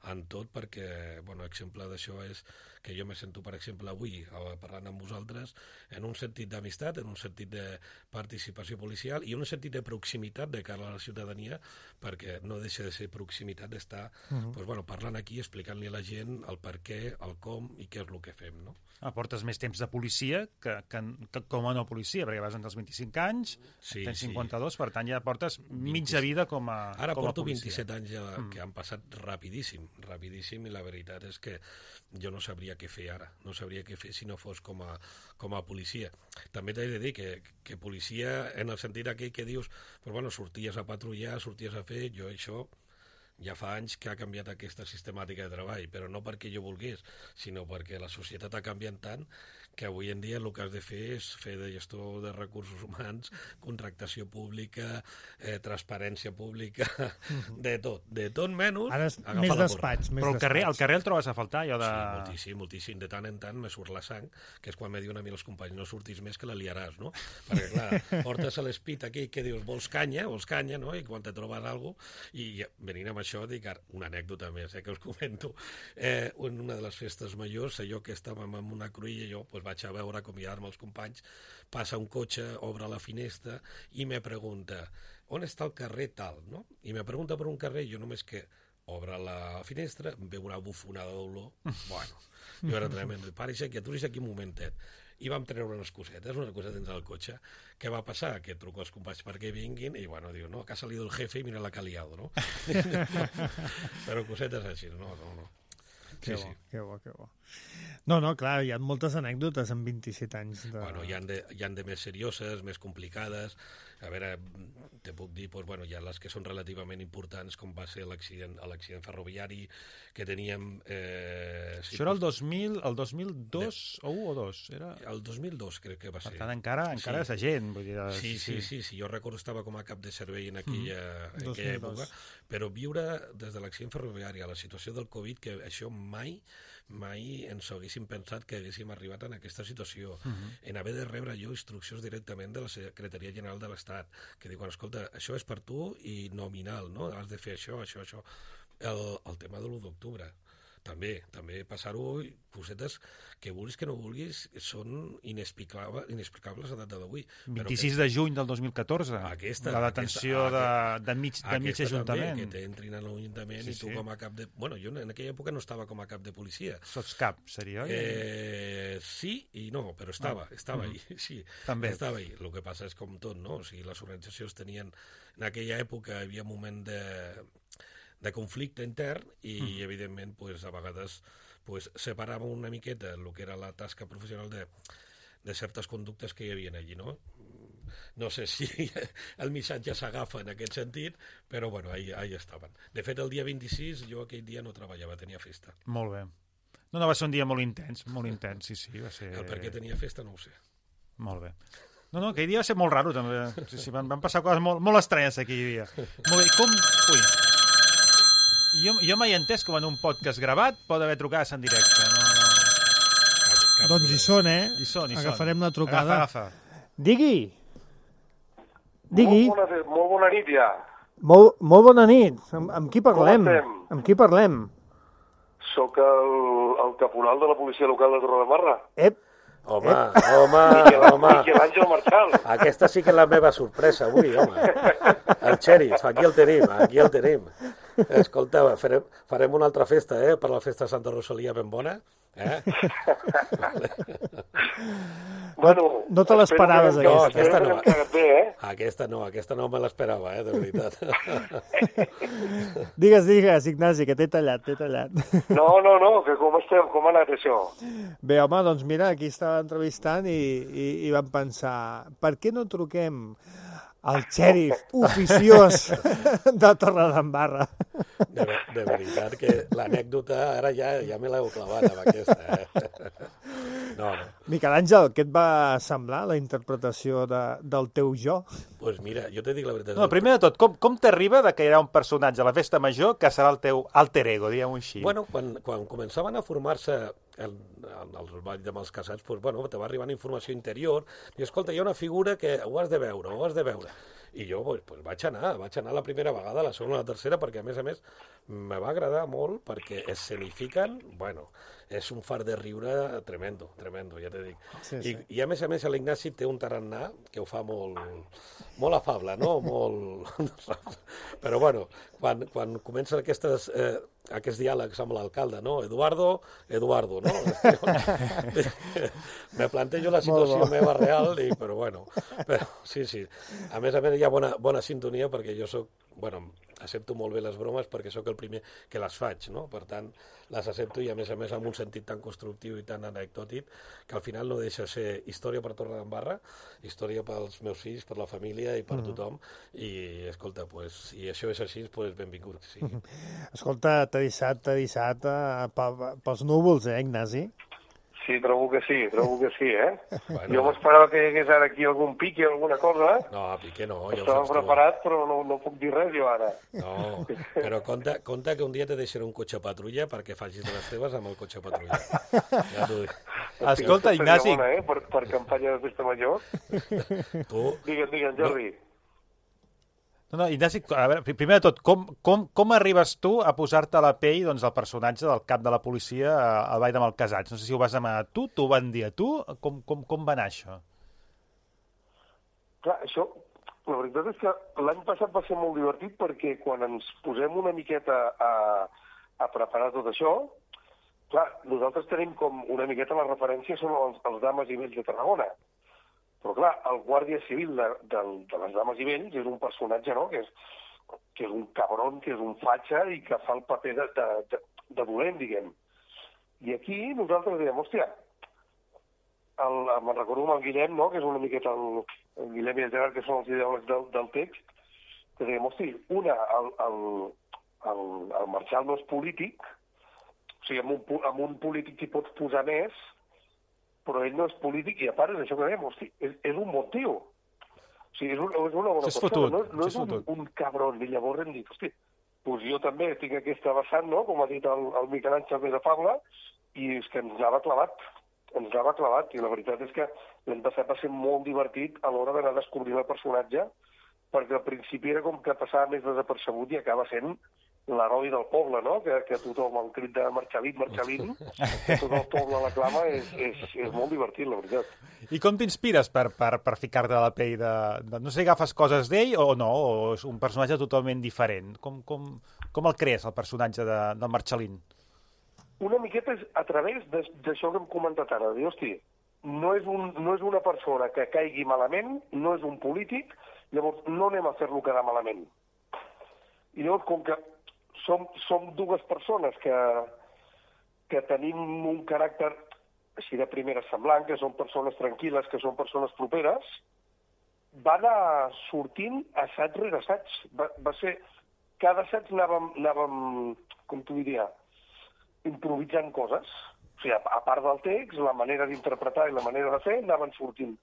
en tot, perquè, bueno, exemple d'això és que jo me sento, per exemple, avui parlant amb vosaltres en un sentit d'amistat, en un sentit de participació policial i en un sentit de proximitat de cara a la ciutadania, perquè no deixa de ser proximitat d'estar uh-huh. pues, bueno, parlant aquí, explicant-li a la gent el per què, el com i què és el que fem, no? Aportes més temps de policia que, que, que com a no policia, perquè vas entre els vint-i-cinc anys, sí, tens cinquanta-dos, sí. Per tant ja portes mitja vida com a Ara com a porto policia. vint-i-set anys ja, mm. que han passat rapidíssim, rapidíssim, i la veritat és que jo no sabria què fer ara, no sabria què fer si no fos com a, com a policia. També t'he de dir que, que policia, en el sentit aquell que dius, pues bueno, sorties a patrullar, sorties a fer, jo això... Ja fa anys que ha canviat aquesta sistemàtica de treball, però no perquè jo volgués, sinó perquè la societat ha canviat tant que avui en dia el que has de fer és fer de gestor de recursos humans, contractació pública, eh, transparència pública, de tot, de tot menys ara és agafar més la despatx, més Però el carrer, despatx. el carrer el trobes a faltar, allò de... Sí, moltíssim, moltíssim. De tant en tant me surt la sang, que és quan me diuen a mi els companys, no surtis més que la liaràs, no? Perquè, clar, portes a l'espit aquí que dius, vols canya, vols canya, no? I quan te trobes alguna cosa, i venint amb això, dic, una anècdota més, eh, que us comento. Eh, en una de les festes majors, allò que estàvem amb una cruïlla, jo pues, vaig a veure, acomiadar-me els companys, passa un cotxe, obre la finestra i me pregunta, on està el carrer tal, no? I me pregunta per un carrer, jo només que obre la finestra, em veu una bufonada d'olor, bueno, jo era tremendo, pare, que aturis aquí un momentet. I vam treure unes cosetes, unes cosetes dins del cotxe. Què va passar? Que truco als companys perquè vinguin i, bueno, diu, no, que ha salido el jefe i mira la que ha liado, no? Però cosetes així, no, no, no. Que Sí, bo, sí. que bo, que bo. No, no, clar, hi ha moltes anècdotes en vint-i-set anys. De... Bueno, hi ha de, hi ha de més serioses, més complicades. A veure, te puc dir, pues, bueno, hi ha les que són relativament importants, com va ser l'accident l'accident ferroviari que teníem... Eh, Això era el dos mil, el dos mil dos o un o dos? Era... El dos mil dos crec que va Per ser. tant, encara, encara Sí. és agent. Vull dir, Sí, sí, sí, sí, jo recordo estava com a cap de servei en aquella, Mm. en aquella època, dos mil dos. però viure des de l'accident ferroviari a la situació del Covid, que això mai mai ens haguéssim pensat que haguéssim arribat en aquesta situació, uh-huh. en haver de rebre jo instruccions directament de la Secretaria General de l'Estat, que diuen, escolta, això és per tu i nominal, no? Has de fer això, això, això. El, el tema de l'u d'octubre, també, també passar-ho, cosetes que vulguis que no vulguis, són inexplicables, inexplicables a data d'avui. vint-i-sis de juny del dos mil catorze, Aquesta, la detenció aquesta, de, de mig, de mig aquesta ajuntament. també, que t'entrin a l'Ajuntament Sí, i tu sí. com a cap de... Bueno, jo en aquella època no estava com a cap de policia. Sots cap, seria, oi? Eh, sí i no, però estava, Ah. estava Mm. ahí, sí, També. estava ahí. El que passa és com tot, no? O sigui, les organitzacions tenien... En aquella època hi havia un moment de, de conflicte intern i, mm. evidentment, pues, a vegades pues, separàvem una miqueta el que era la tasca professional de, de certes conductes que hi havia allí, no? No sé si el missatge s'agafa en aquest sentit, però bueno, ahí, ahí estaven. De fet, el dia vint-i-sis jo aquell dia no treballava, tenia festa. Molt bé. No, no, va ser un dia molt intens, molt intens, sí, sí, va ser... El per què tenia festa no ho sé. Molt bé. No, no, aquell dia va ser molt raro, també. Sí, sí, van, van passar coses molt, molt estranyes aquell dia. Molt bé, com... Ui. Jo, jo mai he entès com en un podcast gravat pot haver trucades en directe. No, no. Cap, cap Doncs hi són, eh? Hi són, hi són. Agafarem la trucada. Agafa, agafa. Digui. Digui. Molt bona, molt bona nit, ja. Molt, molt bona nit. Amb, amb qui parlem? Com estem? Amb qui parlem? Soc el, el caporal de la policia local de Torredembarra. Ep, Home, home, home. Miquel Àngel Marchal. Aquesta sí que és la meva sorpresa avui, home. El xèrif, aquí el tenim, aquí el tenim. Escolta, farem, farem una altra festa, eh, per la festa de Santa Rosalia ben bona. Eh? Bueno, no te l'esperaves, espero que- aquesta. aquesta espero que no. hem quedat bé, eh? Aquesta no, aquesta no me l'esperava, eh, de veritat. digues, digues, Ignasi, que t'he tallat, t'he tallat. No, no, no, que com esteu, com ha anat això? Bé, home, doncs mira, aquí estava entrevistant i, i, i vam pensar, per què no truquem al xèrif oficiós de Torredembarra? De, de veritat que l'anècdota ara ja ja me l'heu clavat amb aquesta, eh? No, no. Miquel Àngel, què et va semblar la interpretació de, del teu jo? Doncs pues mira, jo te dic la veritat. No, primer de tot, com, com t'arriba de que hi ha un personatge a la festa major que serà el teu alter ego, diguem-ho així? Bueno, quan, quan començaven a formar-se el, el, els balls amb els casats, pues, bueno, te va arribant informació interior, i escolta, hi ha una figura que ho has de veure, ho has de veure. I jo pues, pues, vaig anar, vaig anar la primera vegada, la segona, la tercera, perquè a més a més me va agradar molt perquè escenifiquen, bueno, és un far de riure tremendo, tremendo, ja te dic. Sí, sí. I, I a més a més l'Ignasi té un tarannà que ho fa molt, molt afable, no? Molt... Però bueno, quan, quan comencen aquestes... Eh, aquests diàlegs amb l'alcalde, no? Eduardo, Eduardo, no? Me plantejo la situació meva real, i, però bueno, però, sí, sí. A més a més hi ha bona, bona sintonia perquè jo soc, bueno, accepto molt bé les bromes perquè sóc el primer que les faig, no? Per tant, les accepto i a més a més amb un sentit tan constructiu i tan anecdòtic que al final no deixa ser història per Torredembarra, història pels meus fills, per la família i per tothom, i escolta, pues, si això és així, pues benvingut, sí. Escolta, t'ha deixat, t'ha deixat uh, pels núvols, eh, Ignasi? Sí, trobo que sí, trobo que sí, eh? Bueno. Jo m'esperava que hi hagués ara aquí algun pique o alguna cosa. No, pique no. Ja Estava preparat, però no, no puc dir res jo ara. No, però compte, compte que un dia te deixaré un cotxe patrulla perquè facis de les teves amb el cotxe patrulla. Ja t'ho dic. Escolta, Ignasi... Bona, eh? per, per campanya de festa major. Tu... Digue'm, digue'm, Jordi. No. No, no, Ignasi, a veure, primer de tot, com, com, com arribes tu a posar-te a la pell doncs, el personatge del cap de la policia al Ball de Malcasats? No sé si ho vas demanar tu, t'ho van dir a tu, com, com, com va anar això? Clar, això, la veritat és que l'any passat va ser molt divertit perquè quan ens posem una miqueta a, a preparar tot això, clar, nosaltres tenim com una miqueta la referència són els, els dames i vells de Tarragona. Però, clar, el guàrdia civil de, de, de les dames i vells és un personatge, no?, que és, que és un cabron, que és un fatxa i que fa el paper de, de, de, de dolent, diguem. I aquí nosaltres diem, hòstia, el, me'n recordo amb el Guillem, no?, que és una miqueta el, el Guillem i el Gerard, que són els ideòlegs del, del text, que diem, hòstia, una, el, el, el, el Marçal no és polític, o sigui, amb un, amb un polític hi pots posar més, però ell no és polític i a part és això que dèiem, hosti, és, és un bon tio. O sigui, és, un, és una bona és persona, fotut, no, no és, és un, un cabron. I llavors hem dit, hosti, doncs jo també tinc aquesta vessant, no?, com ha dit el, el Miquel Àngel més afable, i és que ens anava clavat, ens anava clavat, i la veritat és que l'any passat va ser molt divertit a l'hora d'anar descobrint el personatge, perquè al principi era com que passava més desapercebut i acaba sent l'heroi del poble, no?, que, que tothom, el crit de Marxalín, Marxalín, que tot el poble l'aclama, és, és, és molt divertit, la veritat. I com t'inspires per, per, per ficar-te a la pell de, de... No sé, agafes coses d'ell o no, o és un personatge totalment diferent? Com, com, com el crees, el personatge de, del Marxalín? Una miqueta és a través d'això que hem comentat ara, de dir, hosti, no és, un, no és una persona que caigui malament, no és un polític, llavors no anem a fer-lo quedar malament. I llavors, com que Som, som dues persones que, que tenim un caràcter així de primera semblant, que són persones tranquil·les, que són persones properes, va anar sortint assaig rere assaig. Va, va ser... Cada assaig anàvem, anàvem, com t'ho diria, improvisant coses. O sigui, a, a part del text, la manera d'interpretar i la manera de fer, anaven sortint.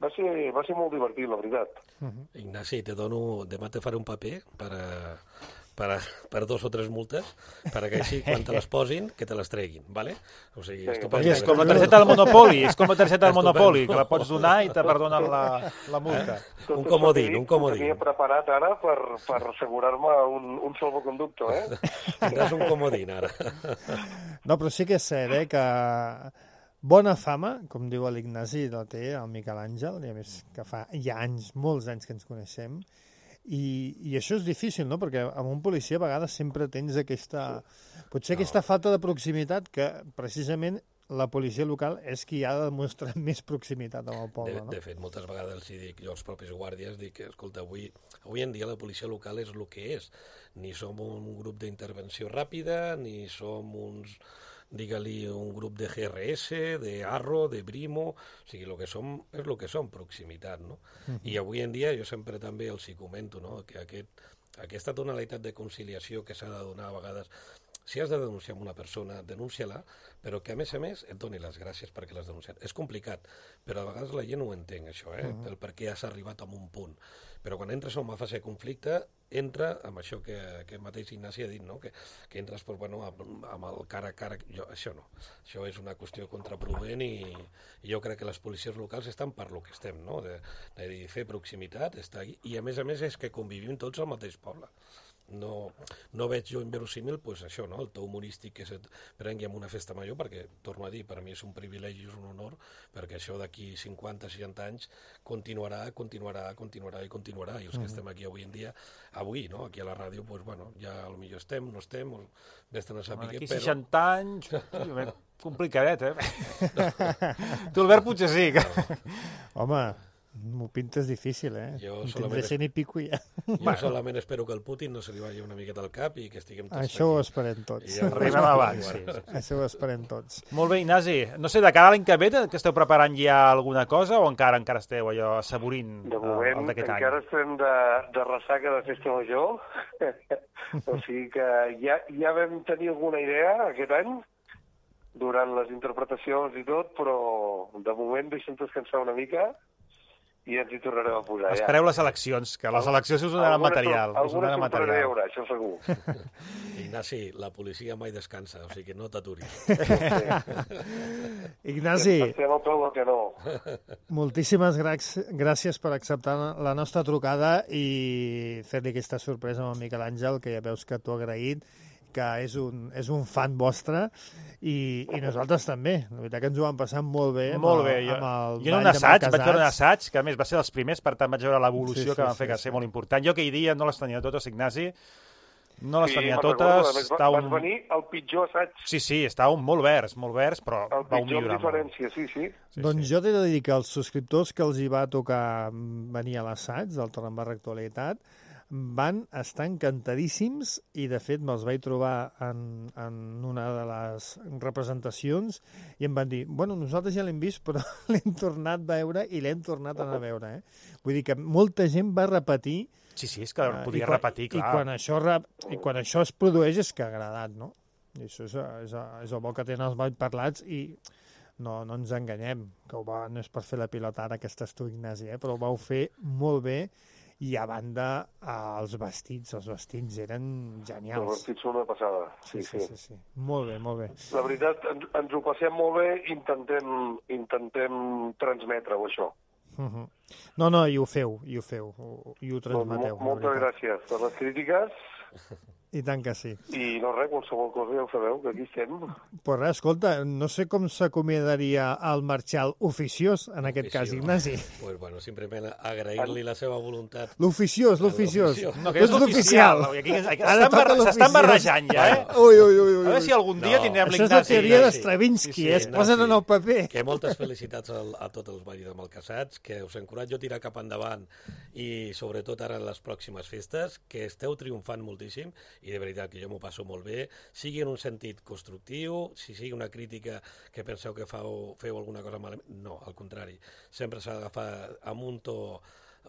Va ser, va ser molt divertit, la veritat. Uh-huh. Ignasi, te dono... Demà te faré un paper per... A... Per, a, per dos o tres multes, perquè així, quan te les posin, que te les treguin, ¿vale? O sigui, sí, és com la targeta del Monopoli, és com la targeta del Monopoli, que la pots donar i te perdonen la, la multa. Eh? Un comodín, un comodín. Ho tenia preparat ara per, per assegurar-me un, un salvoconducto, eh? Tindràs un comodín, ara. No, però sí que és cert, eh, que bona fama, com diu l'Ignasi, la té el Miquel Àngel, i a més que fa ja anys, molts anys que ens coneixem. I, i això és difícil, no?, perquè amb un policia a vegades sempre tens aquesta... Potser no. aquesta falta de proximitat que precisament la policia local és qui ha de demostrar més proximitat amb el poble, de, no? De fet, moltes vegades els dic jo als propis guàrdies, dic que, escolta, avui, avui en dia la policia local és el que és. Ni som un grup d'intervenció ràpida, ni som uns... digue-li un grup de G R S, de Arro, de Brimo, o sigui, el que som és el que som, proximitat, no? Uh-huh. I avui en dia jo sempre també els hi comento, no?, que aquest aquesta tonalitat de conciliació que s'ha de donar a vegades. Si has de denunciar una persona, denúncia-la, però que a més a més et doni les gràcies perquè l'has denunciat. És complicat, però a vegades la gent no ho entenc, això, eh? Uh -huh. El per què has arribat a un punt. Però quan entres en una fase de conflicte, entra amb això que, que mateix Ignasi ha dit, no? que, que entres pues, bueno, amb, amb el cara a cara. Jo, això no. Això és una qüestió contraproduent i, i jo crec que les policies locals estan per lo que estem, no? de, de dir, fer proximitat, estar aquí. I a més a més és que convivim tots al mateix poble. No, no veig jo inverosímil pues, això, no? El to humorístic que se't prengui en una festa major, perquè, torno a dir, per mi és un privilegi, és un honor, perquè això d'aquí cinquanta, seixanta anys continuarà, continuarà, continuarà i continuarà, i els que estem aquí avui en dia, avui, no? Aquí a la ràdio, pues, bueno, ja potser estem, no estem, vés-te'n a saber, aquí però... seixanta anys, complicadet, eh? Tu, Albert, potser sí. Home, m'ho pintes difícil, eh? Jo solament, es... i pico ja. jo bueno. solament espero que el Putin no se li vagi una miqueta al cap i que estiguem tots Això ho esperem tots. Ja arribem abans, sí. Això ho esperem tots. Molt bé, Ignasi. No sé, de cara a l'any que ve, que esteu preparant ja alguna cosa o encara encara esteu allò assaborint de moment, el d'aquest any? Encara estem de, de ressaca de festa major. O sigui que ja, ja vam tenir alguna idea aquest any durant les interpretacions i tot, però de moment deixem descansar una mica i ens hi tornarem a posar. Espereu ja. les eleccions, que les eleccions us donaran material. Alguna sorpresa hi haurà, això segur. Ignasi, la policia mai descansa, o sigui que no t'aturis. Ignasi, estem al peu del canó. Moltíssimes gràcies per acceptar la nostra trucada i fer-li aquesta sorpresa amb el Miquel Àngel, que ja veus que t'ho ha agraït, que és un, és un fan vostre, i, i nosaltres també. La veritat que ens ho vam passar molt bé. Molt amb, bé. Jo, amb el jo en un assaig, vaig veure un assaig, que a més va ser dels primers, per tant vaig veure l'evolució sí, sí, que van fer, sí, que va ser sí. molt important. Jo aquell dia no les tenia totes, Ignasi, no les sí, tenia totes. Més, va, un... Vas venir al pitjor assaig. Sí, sí, estava molt verds, molt verds, però el va millorar molt. El pitjor diferència, sí, sí. sí doncs sí. Jo t'he de dir que els subscriptors que els hi va tocar venir a l'assaig del Torre d'Embarra Actualitat van estar encantadíssims i, de fet, me'ls vaig trobar en, en una de les representacions i em van dir, bueno, nosaltres ja l'hem vist, però l'hem tornat a veure i l'hem tornat a anar a veure. Eh? Vull dir que molta gent va repetir. Sí, sí, és que podia uh, quan, repetir, clar. I quan, això, I quan això es produeix és que ha agradat, no? I això és, és, és el bo que tenen els balls parlats i no, no ens enganyem, que ho va, no és per fer la pilota ara que estàs tu, Ignasi, eh? Però ho vau fer molt bé. I a banda, eh, els vestits, els vestits eren genials. Els vestits són una passada, sí, sí. sí, sí, sí. Molt bé, molt bé. La veritat, ens, ens ho passem molt bé, intentem, intentem transmetre-ho, això. Uh -huh. No, no, i ho feu, i ho feu, i ho transmeteu. Mol, moltes gràcies per les crítiques. I tant que sí. I no res, qualsevol cosa ja ho sabeu, que aquí estem. Pues res, escolta, no sé com s'acomiadaria el marxal oficiós, en aquest Oficiós. cas, Ignasi. Pues bueno, simplement agrair-li la seva voluntat. L'oficiós, l'oficiós. No, que és l'oficial. S'estan barrejant ja, eh? Ui, ui, ui, ui. A veure si algun dia no. tindrem l'Ignasi. Això és la teoria d'Stravinsky, sí, sí, eh? Es posen en el paper. Que moltes felicitats a, a tots els balls de Malcassats, que us encoratjo a tirar cap endavant i sobretot ara en les pròximes festes, que esteu triomfant moltíssim i de veritat que jo m'ho passo molt bé, sigui en un sentit constructiu, si sigui una crítica que penseu que feu, feu alguna cosa malament, no, al contrari, sempre s'ha d'agafar amb un to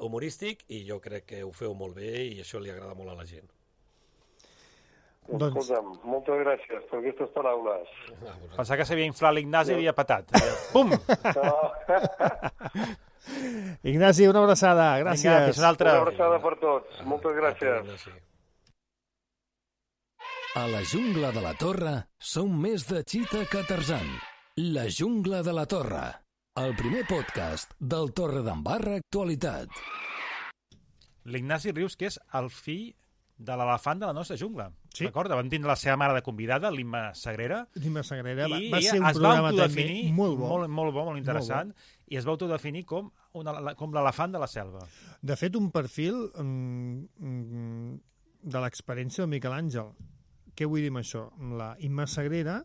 humorístic i jo crec que ho feu molt bé i això li agrada molt a la gent. Doncs... Escolta'm, moltes gràcies per aquestes paraules. Pensava que s'havia inflat l'Ignasi i havia patat. Pum! No. Ignasi, una abraçada, gràcies. Vinga, una, altra. Una abraçada per tots, moltes gràcies. A la jungla de la Torre som més de Chita que Tarzan. La jungla de la Torre, el primer podcast del Torre d'Embarra Actualitat. L'Ignasi Rius, que és el fill de l'elefant de la nostra jungla. Sí. Recorda, vam tindre la seva mare de convidada, l'Imma Sagrera. L'Imma Sagrera va, I va ser un programa també molt bo. Molt, molt bo, molt interessant. Molt bo. I es va autodefinir com, una, com l'elefant de la selva. De fet, un perfil um, de l'experiència del Miquel Àngel. Què vull dir amb això? La Imma Sagrera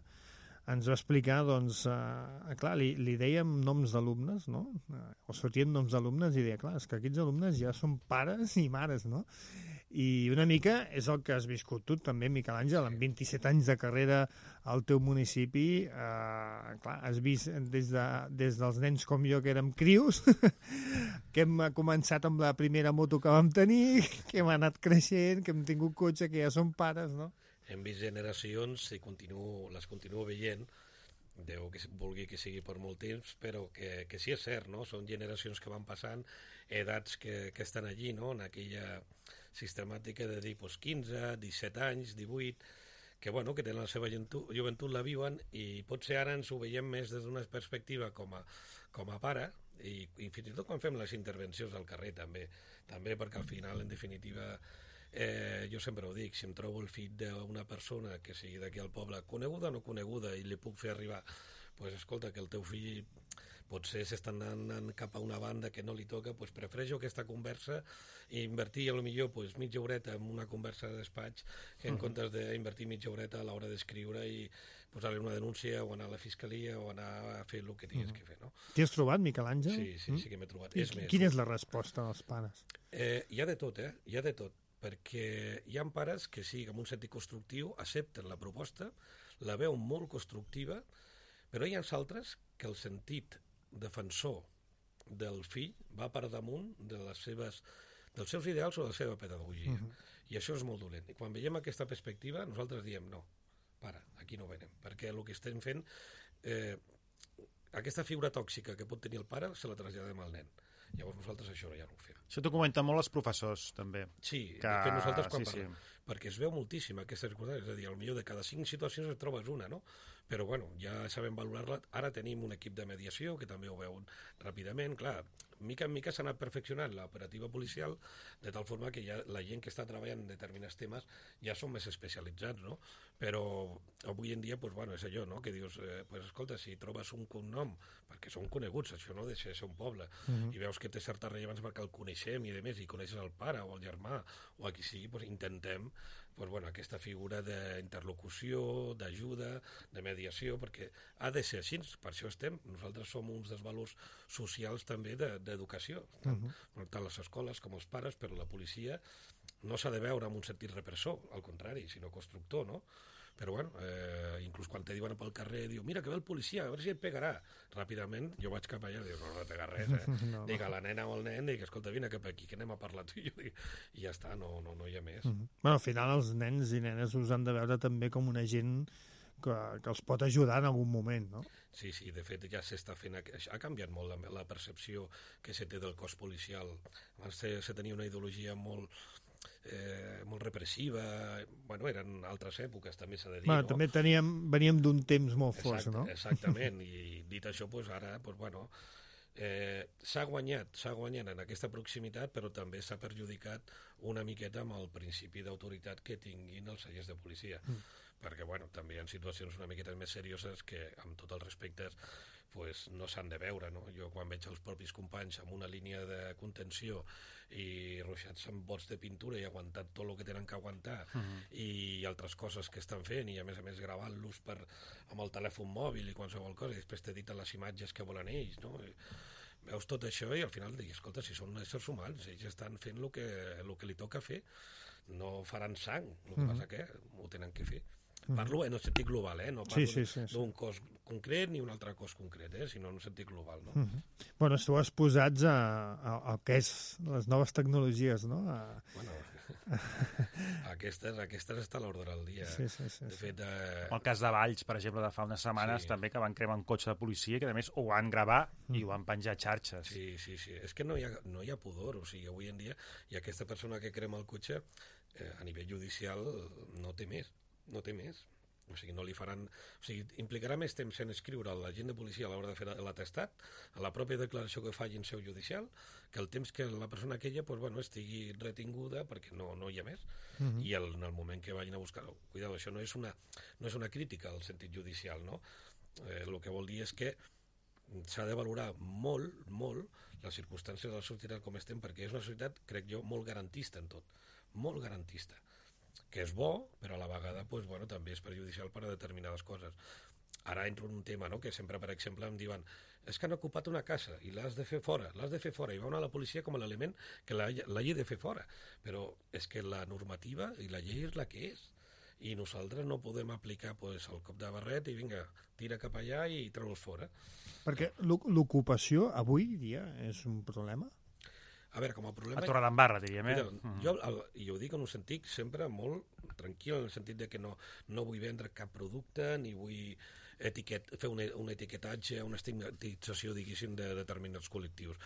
ens va explicar, doncs, eh, clar, li, li dèiem noms d'alumnes, no? O sortien noms d'alumnes i deia, clar, és que aquests alumnes ja són pares i mares, no? I una mica és el que has viscut tu també, Miquel Àngel, amb vint-i-set anys de carrera al teu municipi. Eh, clar, has vist des, de, des dels nens com jo, que érem crios, que hem començat amb la primera moto que vam tenir, que hem anat creixent, que hem tingut cotxe, que ja som pares, no? Hem vist generacions i continuo, les continuo veient, Déu que vulgui que sigui per molt temps, però que, que sí és cert, no? Són generacions que van passant, edats que, que estan allí, no? En aquella sistemàtica de dir pues, quinze, disset anys, divuit, que, bueno, que tenen la seva joventut, joventut, la viuen, i potser ara ens ho veiem més des d'una perspectiva com a, com a pare, i, i fins i tot quan fem les intervencions al carrer també, també perquè al final, en definitiva, Eh, jo sempre ho dic, si em trobo el fill d'una persona que sigui d'aquí al poble, coneguda o no coneguda, i li puc fer arribar, pues, escolta, que el teu fill potser s'està anant cap a una banda que no li toca, pues, prefereixo aquesta conversa i invertir a lo millor pues, mitja horeta en una conversa de despatx que en uh-huh. comptes d'invertir mitja horeta a l'hora d'escriure i posar-li una denúncia o anar a la fiscalia o anar a fer el que tinguis uh-huh. que fer, no? T'hi has trobat, Miquel Àngel? Sí, sí, mm? sí que m'he trobat. I, és més, quina és la resposta dels pares? Eh, hi ha de tot, eh? Hi ha de tot. Perquè hi ha pares que sí, amb un sentit constructiu, accepten la proposta, la veuen molt constructiva, però hi ha altres que el sentit defensor del fill va per damunt de les seves, dels seus ideals o de la seva pedagogia. Uh-huh. I això és molt dolent. I quan veiem aquesta perspectiva, nosaltres diem no, para, aquí no venem, perquè el que estem fent, eh, aquesta figura tòxica que pot tenir el pare, se la traslladem al nen. Llavors nosaltres això ja no ho fem. Això t'ho comenten molt els professors, també. Sí, que... de fet nosaltres quan sí, parlem, sí. perquè es veu moltíssim aquesta circumstància, és a dir, potser de cada cinc situacions et trobes una, no? Però bueno, ja sabem valorar-la. Ara tenim un equip de mediació que també ho veuen ràpidament. Clar, mica en mica s'ha anat perfeccionant l'operativa policial de tal forma que ja la gent que està treballant en determinats temes ja són més especialitzats, no? Però avui en dia, pues, bueno, és allò, no? Que dius, eh, pues, escolta, si trobes un cognom, perquè són coneguts, això no deixa de ser un poble, uh-huh. i veus que té certa rellevància perquè el coneixem i de més, i coneixes el pare o el germà o a qui sigui, pues, intentem pues, bueno, aquesta figura d'interlocució, d'ajuda, de mediació, perquè ha de ser així, per això estem. Nosaltres som uns dels valors socials també d'educació, de, tant, uh-huh. tant les escoles com els pares, però la policia no s'ha de veure amb un sentit repressor, al contrari, sinó constructor, no? Però, bueno, eh, inclús quan te diuen pel carrer, diu, mira que ve el policia, a veure si et pegarà. Ràpidament, jo vaig cap allà i diu, no, no pega res, eh? No. Dic a la nena o al nen, dic, escolta, vine cap aquí, que anem a parlar tu i jo, dic, i ja està, no, no, no hi ha més. Uh-huh. Bueno, al final els nens i nenes us han de veure també com una gent que, que els pot ajudar en algun moment, no? Sí, sí, de fet ja s'està fent... Ha canviat molt la, la percepció que se té del cos policial. Abans se, se tenia una ideologia molt... Eh, molt repressiva, bueno, eren altres èpoques, també s'ha de dir, bueno, no? També teníem, veníem d'un temps molt Exacte, fos, no? Exactament, i dit això, pues, ara, pues, bueno, eh, s'ha guanyat, s'ha guanyat en aquesta proximitat, però també s'ha perjudicat una miqueta amb el principi d'autoritat que tinguin els agents de policia, mm. perquè, bueno, també hi ha situacions una miqueta més serioses que, amb tots els respectes, pues, no s'han de veure, no? Jo quan veig els propis companys amb una línia de contenció i ruixats amb bots de pintura i aguantat tot el que tenen que aguantar uh-huh. i altres coses que estan fent i a més a més gravant-los per, amb el telèfon mòbil i qualsevol cosa i després t'editen les imatges que volen ells, no? I veus tot això i al final dius, escolta, si són éssers humans, ells estan fent el que, el que li toca fer, no faran sang, el que uh-huh. passa que ho tenen que fer. Parlo en el sentit global, eh? No parlo sí, sí, sí, sí. d'un cos concret ni un altre cos concret, eh? Sinó en un sentit global, no? Uh-huh. Bueno, esteu exposats a, a, a què és les noves tecnologies, no? A... Bueno, aquestes, aquestes està a l'ordre del dia. Sí, sí, sí, de fet, eh... el cas de Valls, per exemple, de fa unes setmanes, sí. també que van cremar un cotxe de policia que, a més, ho van gravar mm. i ho van penjar a xarxes. Sí, sí, sí. És que no hi ha, no hi ha pudor. O sigui, avui en dia, i aquesta persona que crema el cotxe, eh, a nivell judicial, no té més. No té més. O sigui, no li faran... O sigui, implicarà més temps en escriure a l'agent de policia a l'hora de fer l'atestat, a la pròpia declaració que faci en seu judicial, que el temps que la persona aquella pues, bueno, estigui retinguda perquè no, no hi ha més. Uh-huh. I el, en el moment que vagin a buscar... Cuidado, això no és una, no és una crítica al sentit judicial, no? Eh, el que vol dir és que s'ha de valorar molt, molt les circumstàncies de la societat com estem, perquè és una societat, crec jo, molt garantista en tot. Molt garantista. Que és bo, però a la vegada pues, bueno, també és perjudicial per a determinades coses. ara entro en un tema, no?, que sempre, per exemple, em diuen és que han ocupat una casa i l'has de fer fora, l'has de fer fora, i va a la policia com a l'element que l'hagi de fer fora. Però és que la normativa i la llei és la que és, i nosaltres no podem aplicar pues, el cop de barret i vinga, tira cap allà i treu-los fora. Perquè l'ocupació avui dia és un problema? A veure, com a problema... A Torredembarra, diríem, eh? Mira, mm. jo, el, i ho dic en un sentit sempre molt tranquil, en el sentit de que no, no vull vendre cap producte, ni vull etiquet, fer un, un etiquetatge, una estigmatització, diguéssim, de determinats col·lectius.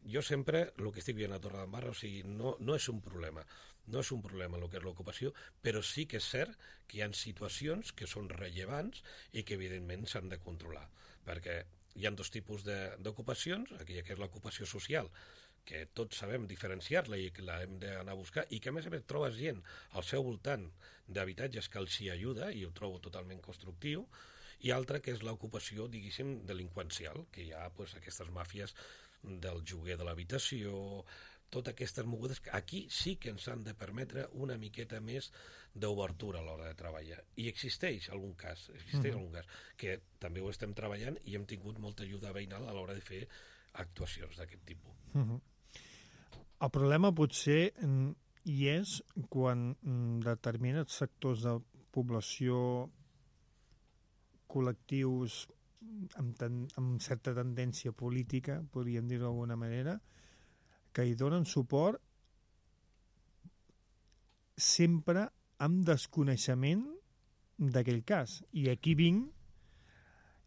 Jo sempre, el que estic veient a Torredembarra, o sigui, no, no és un problema, no és un problema el que és l'ocupació, però sí que és cert que hi ha situacions que són rellevants i que, evidentment, s'han de controlar, perquè hi ha dos tipus d'ocupacions, aquella que és l'ocupació social, que tots sabem diferenciar-la i que la hem d'anar a buscar, i que a més a més trobes gent al seu voltant d'habitatges que els hi ajuda, i ho trobo totalment constructiu, i altra que és l'ocupació, diguéssim, delinqüencial, que hi ha pues, aquestes màfies del lloguer de l'habitació, totes aquestes mogudes, que aquí sí que ens han de permetre una miqueta més d'obertura a l'hora de treballar. I existeix algun cas, existeix mm. algun cas, que també ho estem treballant i hem tingut molta ajuda veïnal a l'hora de fer actuacions d'aquest tipus. Mm -hmm. El problema potser hi és quan determinats sectors de població, col·lectius amb, ten, amb certa tendència política, podríem dir-ho d'alguna manera, que hi donen suport sempre amb desconeixement d'aquell cas. I aquí vinc,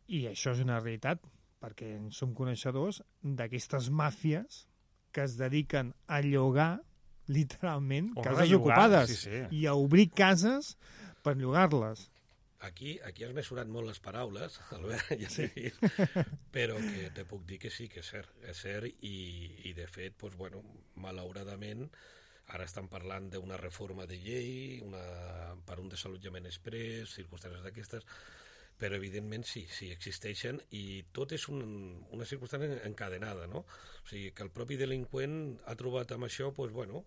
i això és una realitat, perquè en som coneixedors d'aquestes màfies que es dediquen a llogar, literalment, o cases llogar, ocupades, sí, sí. i a obrir cases per llogar-les. Aquí, aquí has mesurat molt les paraules, Albert, ja sí. dit, però que te puc dir que sí, que és cert, és cert i, i de fet, doncs, bueno, malauradament, ara estan parlant d'una reforma de llei, una, per un desallotjament exprés, circumstàncies d'aquestes, però evidentment sí, sí, existeixen i tot és un, una circumstància encadenada, no? O sigui, que el propi delinqüent ha trobat amb això, doncs, bueno,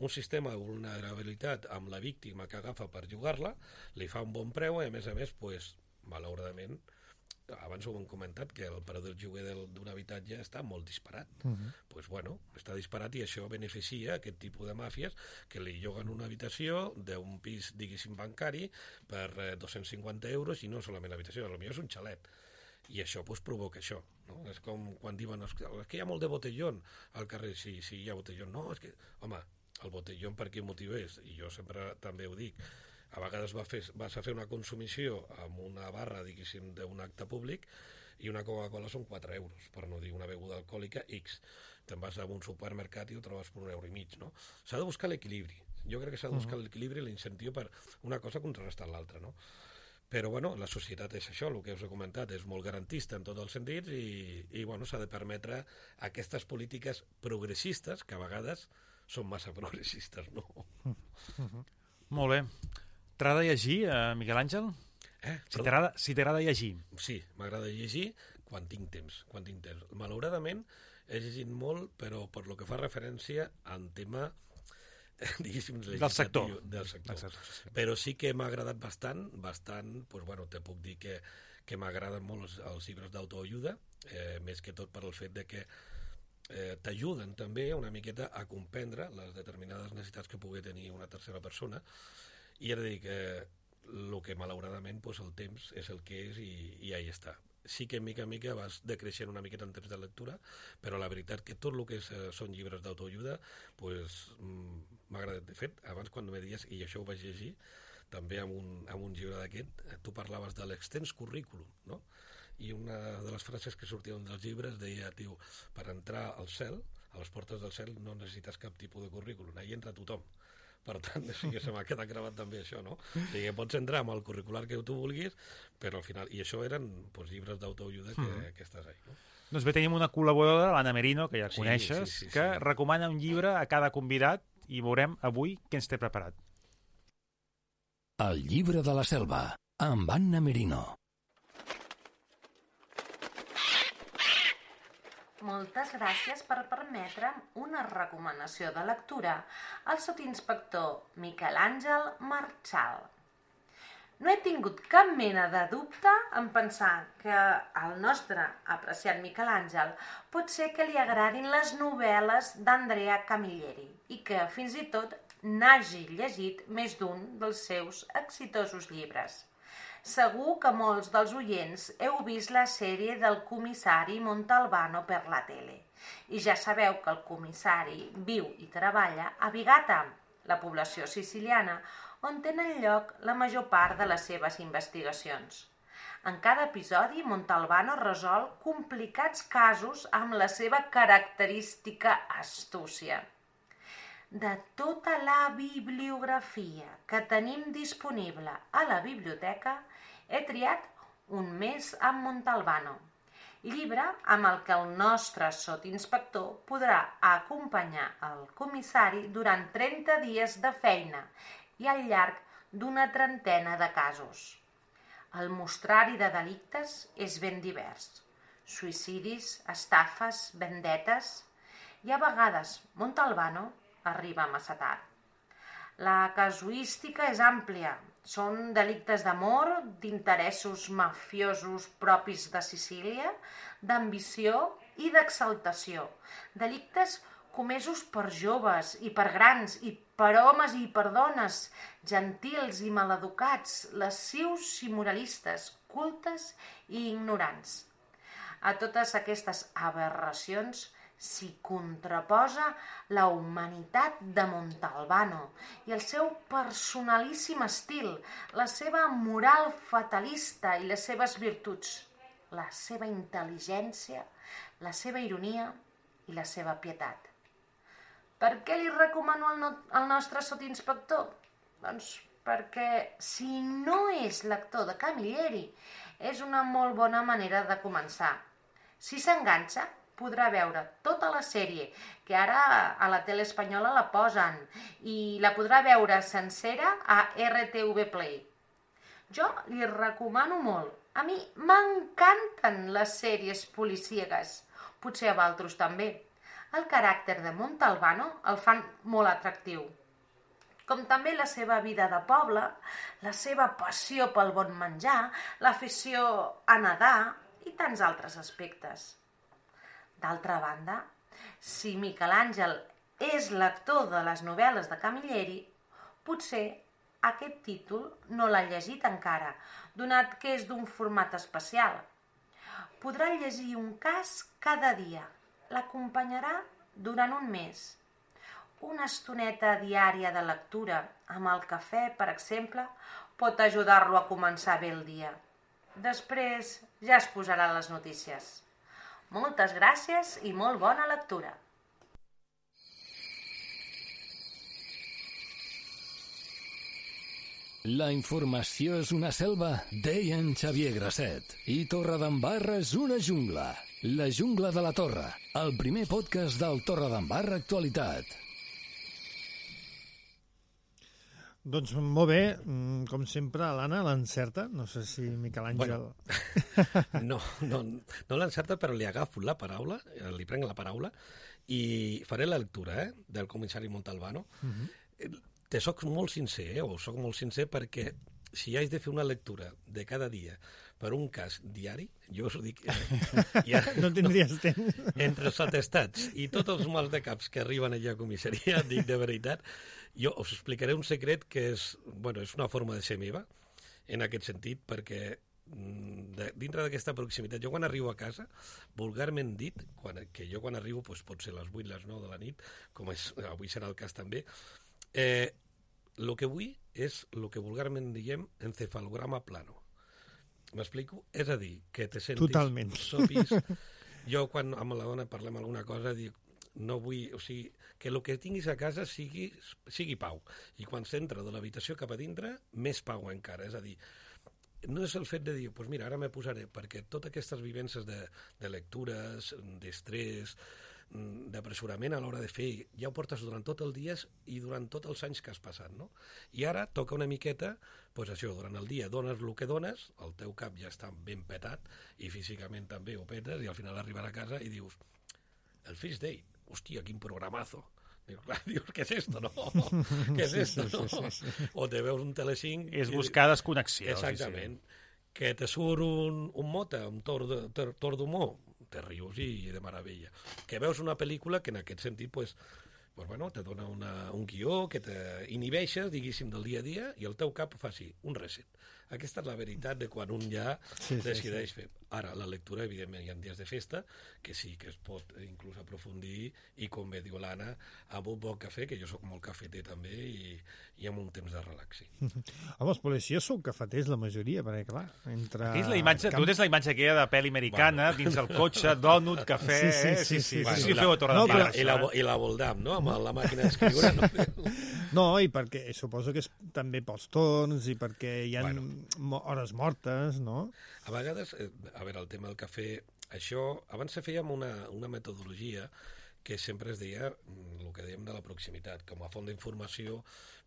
un sistema de vulnerabilitat amb la víctima que agafa per jugar-la, li fa un bon preu i a més a més, doncs, malauradament, abans ho hem comentat, que el preu del lloguer d'un habitatge està molt disparat. Uh -huh. Doncs, bueno, està disparat i això beneficia aquest tipus de màfies que li lloguen una habitació d'un pis, diguéssim, bancari per eh, dos-cents cinquanta euros i no solament l'habitació, potser és un xalet. I això pues, provoca això. No? És com quan diuen és que, és que hi ha molt de botellón al carrer. Sí, sí, hi ha botellón. No, és que, home, el botellón per quin motiu és? I jo sempre també ho dic. A vegades va fer, vas a fer una consumició amb una barra, diguéssim, d'un acte públic i una Coca-Cola són quatre euros, per no dir una beguda alcohòlica X. Te'n vas a un supermercat i ho trobes per un euro i mig, no? S'ha de buscar l'equilibri. Jo crec que s'ha de buscar uh-huh. l'equilibri i l'incentiu per una cosa contrarrestar l'altra, no? Però, bueno, la societat és això, el que us he comentat, és molt garantista en tots els sentits i, i bueno, s'ha de permetre aquestes polítiques progressistes, que a vegades són massa progressistes, no? Uh-huh. Molt bé. T'agrada llegir, eh, Miquel Àngel? Eh? Si t'agrada si t'agrada llegir. Sí, m'agrada llegir quan tinc temps, quan tinc temps. Malauradament he llegit molt, però per lo que fa referència al tema, diguéssim, del sector. Del sector. Sí. Però sí que m'ha agradat bastant, bastant, doncs, bueno, te puc dir que, que m'agraden molt els, els llibres d'autoajuda, eh, més que tot per el fet de que eh, t'ajuden també una miqueta a comprendre les determinades necessitats que pugui tenir una tercera persona. I ara dic, eh, el que malauradament pues, el temps és el que és i, i ahí està. Sí que mica en mica vas decreixent una miqueta en temps de lectura, però la veritat que tot el que és, eh, són llibres d'autoajuda pues, m'ha agradat. De fet, abans quan me dies, i això ho vaig llegir, també amb un, amb un llibre d'aquest, tu parlaves de l'extens currículum, no? I una de les frases que sortien dels llibres deia, tio, per entrar al cel, a les portes del cel no necessites cap tipus de currículum, ahí entra tothom. Per tant, sí que se m'ha quedat gravat també això, no? O sigui, pots entrar amb el curricular que tu vulguis, però al final... I això eren pues, llibres d'autoajuda que, mm. que estàs ahí, no? Doncs bé, tenim una col·laboradora, l'Anna Merino, que ja sí, coneixes, sí, sí, sí, que sí. recomana un llibre a cada convidat i veurem avui què ens té preparat. El llibre de la selva, amb Anna Merino. Moltes gràcies per permetre'm una recomanació de lectura al sotsinspector Miquel Àngel Marchal. No he tingut cap mena de dubte en pensar que al nostre apreciat Miquel Àngel pot ser que li agradin les novel·les d'Andrea Camilleri i que fins i tot n'hagi llegit més d'un dels seus exitosos llibres. Segur que molts dels oients heu vist la sèrie del comissari Montalbano per la tele i ja sabeu que el comissari viu i treballa a Vigata, la població siciliana, on tenen lloc la major part de les seves investigacions. En cada episodi, Montalbano resol complicats casos amb la seva característica astúcia. De tota la bibliografia que tenim disponible a la biblioteca, he triat Un mes amb Montalbano, llibre amb el que el nostre sotinspector podrà acompanyar el comissari durant trenta dies de feina i al llarg d'una trentena de casos. El mostrari de delictes és ben divers. Suïcidis, estafes, vendetes... I a vegades Montalbano arriba massa tard. La casuística és àmplia. Són delictes d'amor, d'interessos mafiosos propis de Sicília, d'ambició i d'exaltació. Delictes comesos per joves i per grans, i per homes i per dones, gentils i maleducats, lascius i moralistes, cultes i ignorants. A totes aquestes aberracions s'hi contraposa la humanitat de Montalbano i el seu personalíssim estil, la seva moral fatalista i les seves virtuts, la seva intel·ligència, la seva ironia i la seva pietat. Per què li recomano al, no, al nostre sotinspector? Doncs perquè si no és lector de Camilleri, és una molt bona manera de començar. Si s'enganxa, podrà veure tota la sèrie, que ara a la tele espanyola la posen, i la podrà veure sencera a R T V Play. Jo li recomano molt. A mi m'encanten les sèries policíaques, potser a vosaltres també. El caràcter de Montalbano el fan molt atractiu, com també la seva vida de poble, la seva passió pel bon menjar, l'afició a nedar i tants altres aspectes. D'altra banda, si Miquel Àngel és lector de les novel·les de Camilleri, potser aquest títol no l'ha llegit encara, donat que és d'un format especial. Podrà llegir un cas cada dia. L'acompanyarà durant un mes. Una estoneta diària de lectura amb el cafè, per exemple, pot ajudar-lo a començar bé el dia. Després ja es posarà les notícies. Moltes gràcies i molt bona lectura. La informació és una selva, deia en Xavier Grasset. I Torredembarra és una jungla. La jungla de la Torre, el primer podcast del Torredembarra Actualitat. Doncs molt bé, com sempre, l'Anna l'encerta. No sé si Miquel Àngel... Bueno, no, no, no l'encerta, però li agafo la paraula, li prenc la paraula i faré la lectura eh, del comissari Montalbano. Uh-huh. Te soc molt sincer, eh, o soc molt sincer perquè si haig de fer una lectura de cada dia per un cas diari, jo us ho dic... Eh, ja, no tindries no, temps. Entre els atestats i tots els mals de caps que arriben allà a comissaria, dic de veritat, jo us explicaré un secret que és, bueno, és una forma de ser meva, en aquest sentit, perquè de, dintre d'aquesta proximitat, jo quan arribo a casa, vulgarment dit, quan, que jo quan arribo doncs pot ser les vuit, les nou de la nit, com és, avui serà el cas també, eh, el que vull és el que vulgarment diem encefalograma plano. M'explico? És a dir, que te sentis... Totalment. Sopis. Jo, quan amb la dona parlem alguna cosa, dic, no vull... O sigui, que el que tinguis a casa sigui, sigui pau. I quan s'entra de l'habitació cap a dintre, més pau encara. És a dir, no és el fet de dir, doncs pues mira, ara me posaré, perquè totes aquestes vivències de, de lectures, d'estrès, d'apressurament a l'hora de fer, ja ho portes durant tot el dia i durant tots els anys que has passat, no? I ara toca una miqueta, doncs això, durant el dia dones el que dones, el teu cap ja està ben petat i físicament també ho petes i al final arribar a casa i dius, el Fish Day, hòstia, quin programazo, Dius, clar, dius, què és esto, no? Què és esto, no? Sí, sí, sí. O te veus un Telecinc... És buscar desconnexió. Exactament. Sí, sí. Que te surt un, un mota, un tor, de, tor d'humor, te rius i de meravella. Que veus una pel·lícula que en aquest sentit, pues, pues bueno, te dona una, un guió que t'inhibeixes, diguéssim, del dia a dia i el teu cap fa així, un reset. Aquesta és la veritat de quan un ja sí, decideix sí, sí. fer. Ara, la lectura, evidentment, hi ha dies de festa, que sí que es pot inclús aprofundir i, com bé diu l'Anna, amb un bon cafè, que jo sóc molt cafeter també, i, i amb un temps de relaxi. Home, els policies són cafeters, la majoria, perquè, clar, entre... Aquí és la imatge, camp... tu tens la imatge aquella de pel·li americana, bueno. dins el cotxe, dònut, cafè... Sí, sí, sí. sí, sí, sí. Bueno, sí, sí, sí. Feu a Torredembarra, no, i, la, i la Voldam, no?, amb la màquina d'escriure. No? no, i perquè suposo que és també pels torns i perquè hi ha bueno. hores mortes, no? A vegades, a veure, el tema del cafè, això, abans se feia amb una, una metodologia que sempre es deia el que dèiem de la proximitat. Com a font d'informació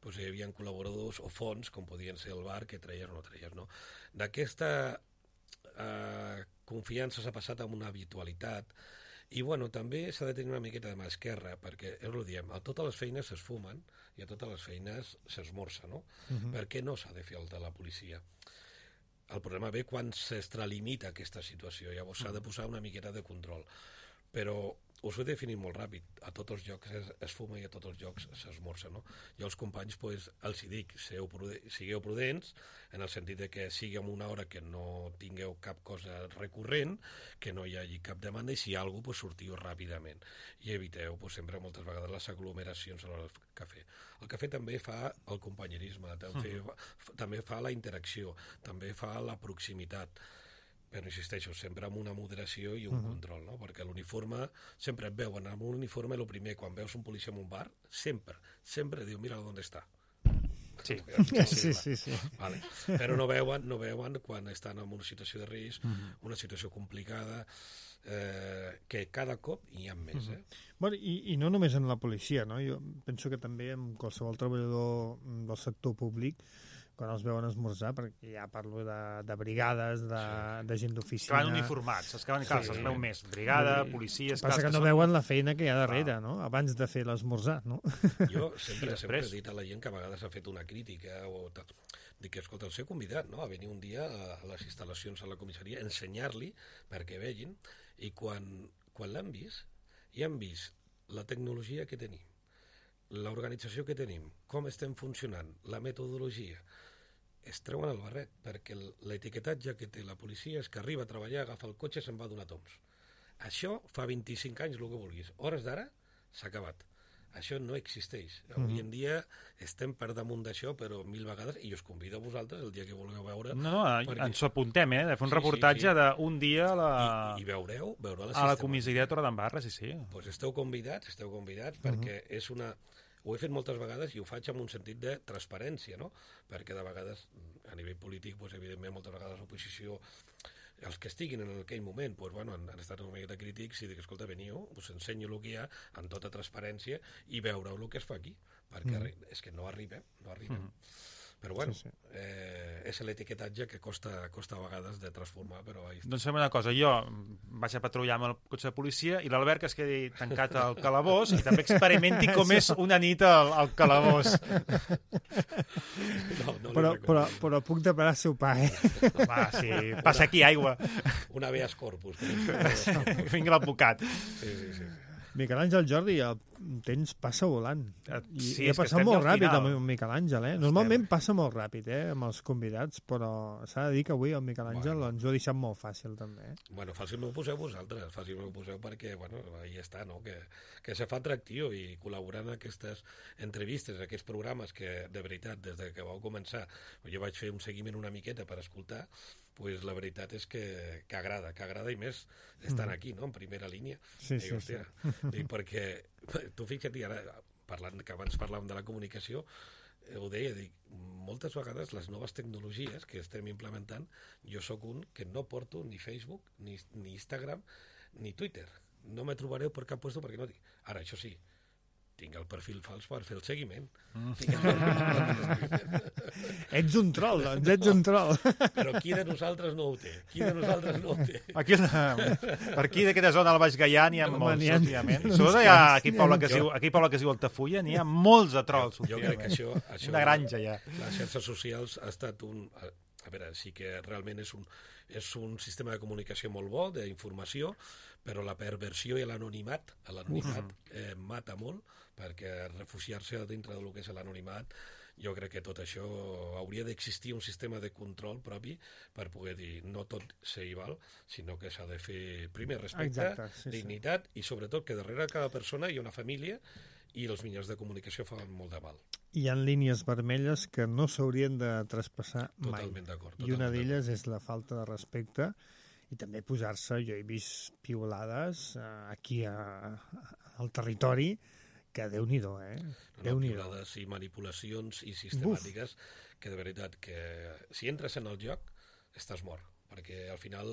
doncs hi havia col·laboradors o fonts, com podien ser el bar, que treies o no treies. No? D'aquesta eh, confiança s'ha passat a una habitualitat i bueno, també s'ha de tenir una miqueta de mà esquerra, perquè, és el que diem, a totes les feines s'esfumen i a totes les feines s'esmorza, no? Uh-huh. Per què no s'ha de fer el de la policia? El problema ve quan s'extralimita aquesta situació, llavors s'ha de posar una miqueta de control. Però us ho he definit molt ràpid, a tots els jocs es, es fuma i a tots els jocs s'esmorza, no? Jo als companys pues, els hi dic, sigueu, prudents, sigueu prudents, en el sentit de que sigui en una hora que no tingueu cap cosa recurrent, que no hi hagi cap demanda, i si hi ha alguna cosa, pues, sortiu ràpidament. I eviteu pues, sempre moltes vegades les aglomeracions a l'hora del cafè. El cafè també fa el companyerisme, també, uh-huh. també fa la interacció, també fa la proximitat. Però insisteixo, sempre amb una moderació i un uh-huh. control, no? Perquè l'uniforme, sempre et veuen amb un uniforme, el primer, quan veus un policia en un bar, sempre, sempre diu, mira on està. Sí, sí, sí, sí. Vale. Però no veuen, no veuen quan estan en una situació de risc, uh-huh. una situació complicada, eh, que cada cop hi ha més. Uh-huh. eh? Bueno, i, i no només en la policia, no? Jo penso que també en qualsevol treballador del sector públic, quan els veuen esmorzar, perquè ja parlo de, de brigades, de, sí. de gent d'oficina... Que van uniformats, els que van, clar, sí, se'ls veu més. Brigada, policies... Passa que, que no són... veuen la feina que hi ha darrere, no? Abans de fer l'esmorzar, no? Jo sempre, sempre he dit a la gent que a vegades ha fet una crítica o tal. Dic que, escolta, el ser convidat, no?, a venir un dia a les instal·lacions a la comissaria, ensenyar-li perquè vegin, i quan, quan l'han vist, i han vist la tecnologia que tenim, l'organització que tenim, com estem funcionant, la metodologia, es treuen el barret, perquè l'etiquetatge que té la policia és que arriba a treballar, agafa el cotxe i se'n va a donar toms. Això fa vint-i-cinc anys, el que vulguis. Hores d'ara, s'ha acabat. Això no existeix. Avui en dia estem per damunt d'això, però mil vegades, i us convido a vosaltres el dia que vulgueu veure... No, no, perquè... ens ho apuntem, eh? De fer un sí, reportatge sí, sí. d'un dia a la... I, i veureu, veureu la a la comissaria de Torredembarra, sí, sí. Pues esteu convidats, esteu convidats, uh-huh. perquè és una... Ho he fet moltes vegades i ho faig amb un sentit de transparència, no? Perquè de vegades, a nivell polític, doncs, evidentment, moltes vegades l'oposició, els que estiguin en aquell moment, doncs, bueno, han, han estat una miqueta crítics i dic, escolta, veniu, us ensenyo el que hi ha amb tota transparència i veureu el que es fa aquí, perquè mm. és que no arribem, no arribem. Mm. Però bueno, sí, sí. Eh, és l'etiquetatge que costa, costa a vegades de transformar, però... Doncs fem una cosa, jo vaig a patrullar amb el cotxe de policia i l'Albert que es quedi tancat al calabós i també experimenti com és una nit al, al calabós. No, no però, però, però puc demanar seu pa, eh? Va, sí, passa aquí aigua. Un habeas corpus. Vinga l'advocat. Sí, sí, sí. Miquel Àngel, Jordi, el temps passa volant. I sí, ha passat molt ràpid final. amb Miquel Àngel, eh? Normalment estem... passa molt ràpid, eh, amb els convidats, però s'ha de dir que avui el Miquel Àngel bueno. ens ho ha deixat molt fàcil, també. Eh? Bueno, fàcil m'ho poseu vosaltres, fàcil m'ho poseu perquè, bueno, ahí està, no?, que, que se fa atractiu i col·laborar en aquestes entrevistes, aquests programes que, de veritat, des de que vau començar, jo vaig fer un seguiment una miqueta per escoltar, pues la veritat és que, que agrada, que agrada i més estan aquí, no?, en primera línia. Sí, I, sí, hòstia, sí. I perquè, tu fixa't, ara, parlant, que abans parlàvem de la comunicació, ho deia, dic, moltes vegades les noves tecnologies que estem implementant, jo sóc un que no porto ni Facebook, ni, ni Instagram, ni Twitter. No me trobareu per cap puesto perquè no dic. Ara, això sí, tinc el perfil fals per fer el seguiment. Mm. Ets un troll, doncs, ets un troll. Però qui de nosaltres no ho té? Qui de nosaltres no ho té? Aquí, per aquí, d'aquesta zona del Baix Gaià, n'hi ha Home, molts, n'hi ha- últimament. uns Sobretot hi ha quants, aquí n'hi ha poble que uns es diu, aquí poble que es diu Altafulla, n'hi ha molts de trolls, Jo crec que això... això Una granja, ja. Les xarxes socials ha estat un... A, a veure, sí que realment és un, és un sistema de comunicació molt bo, d'informació, però la perversió i l'anonimat, l'anonimat eh, mata molt, perquè refugiar-se dintre del que és l'anonimat, jo crec que tot això hauria d'existir un sistema de control propi per poder dir no tot ser igual, sinó que s'ha de fer primer respecte, Exacte, sí, sí. dignitat i sobretot que darrere cada persona hi ha una família i els mitjans de comunicació fan molt de mal. Hi ha línies vermelles que no s'haurien de traspassar mai. Totalment d'acord. I una totalment d'elles és la falta de respecte i també posar-se, jo he vist piulades eh, aquí a, al territori que Déu-n'hi-do, eh? No, Déu-n'hi-do. piulades i manipulacions i sistemàtiques que de veritat que si entres en el joc estàs mort, perquè al final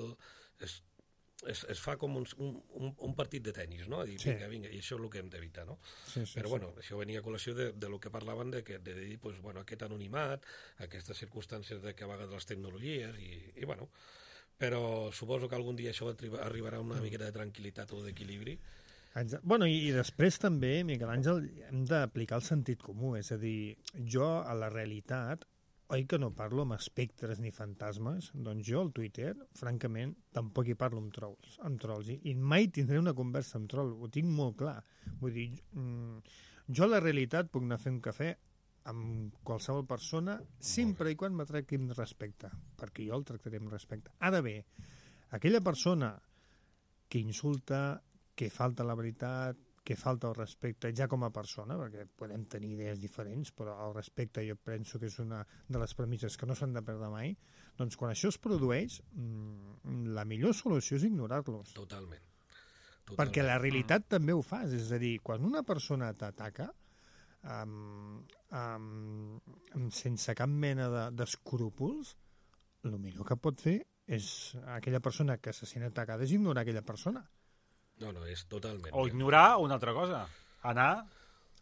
es, es, es fa com un, un, un partit de tennis, no? I Sí. vinga, vinga, i això és el que hem d'evitar, no? Sí, sí, Però sí. bueno, això venia a col·lació de, de lo que parlaven de, que, de dir, pues, bueno, aquest anonimat, aquestes circumstàncies de que a vegades les tecnologies i, i bueno, però suposo que algun dia això arribarà a una miqueta de tranquil·litat o d'equilibri. Exacte. Bueno, i, i després també, Miquel Àngel, hem d'aplicar el sentit comú, és a dir, jo a la realitat, oi que no parlo amb espectres ni fantasmes? Doncs jo al Twitter, francament, tampoc hi parlo amb trolls, amb trolls i, i mai tindré una conversa amb troll, ho tinc molt clar. Vull dir, mm, jo a la realitat puc anar a fer un cafè amb qualsevol persona sempre i quan me tracti amb respecte, perquè jo el tractaré amb respecte. Ara bé, aquella persona que insulta, que falta la veritat, que falta el respecte ja com a persona, perquè podem tenir idees diferents, però el respecte jo penso que és una de les premisses que no s'han de perdre mai, doncs quan això es produeix, la millor solució és ignorar-los. Totalment. Totalment. Perquè la realitat també ho fas, és a dir, quan una persona t'ataca, um, um, sense cap mena de, d'escrúpols, el millor que pot fer és aquella persona que se sent atacada és ignorar aquella persona. No, no, és totalment. O ignorar una altra cosa. Anar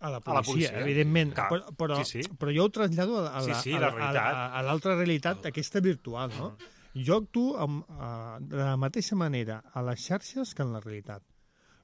a la policia, a la policia. evidentment. Clar. Però, però, Sí, sí. però jo ho trasllado a, a, Sí, la, sí, a, la la- realitat. a, a l'altra realitat, aquesta virtual, no? Jo actuo amb, uh, de la mateixa manera a les xarxes que en la realitat.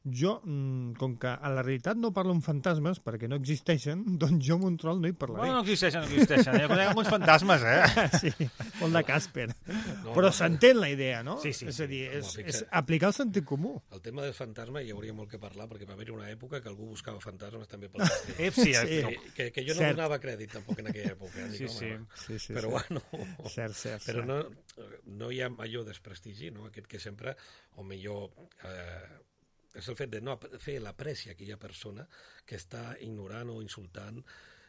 Jo, mm, com que a la realitat no parlo amb fantasmes perquè no existeixen, doncs jo amb un troll no hi parlaré. Bueno, no existeixen, no existeixen. Jo conec alguns fantasmes, eh? Sí, molt de Casper. No, Però no. s'entén la idea, no? Sí, sí, és a dir, sí. és, Home, és fixa- aplicar el sentit comú. El tema del fantasma hi hauria molt que parlar, perquè va haver-hi una època que algú buscava fantasmes també pel castell. Ep, sí, Sí. no. Que, que, que jo no Cert. donava crèdit tampoc en aquella època. Sí, Dic, sí. home, Sí, sí, però sí. bueno, Cert, cert, però cert. no, no hi ha major desprestigi, no? Aquest que sempre, o millor, eh, és el fet de no ap- fer l'apreci a aquella persona que està ignorant o insultant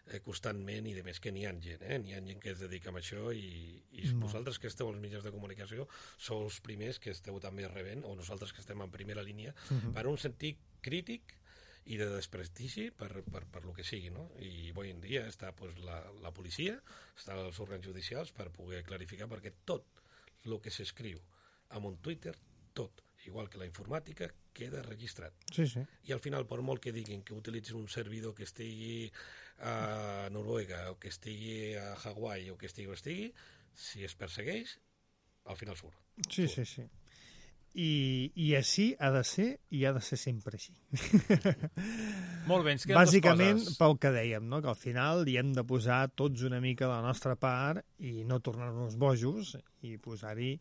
eh, constantment i de més que n'hi ha gent, eh? N'hi ha gent que es dedica a això i, i Molt. vosaltres que esteu als mitjans de comunicació sou els primers que esteu també rebent, o nosaltres que estem en primera línia, Mhm. per un sentit crític i de desprestigi per, per, per lo que sigui, no? I avui en dia està pues, la, la policia, estan els òrgans judicials per poder clarificar, perquè tot el que s'escriu en un Twitter, tot, igual que la informàtica, queda registrat. Sí, sí. I al final, per molt que diguin que utilitzin un servidor que estigui a Noruega, o que estigui a Hawaii, o que estigui o estigui, si es persegueix, al final surt. Sí, sí, sí. I, I així ha de ser i ha de ser sempre així. Molt bé, ens queden Bàsicament, dues coses. pel que dèiem, no? Que al final hi hem de posar tots una mica de la nostra part i no tornar-nos bojos i posar-hi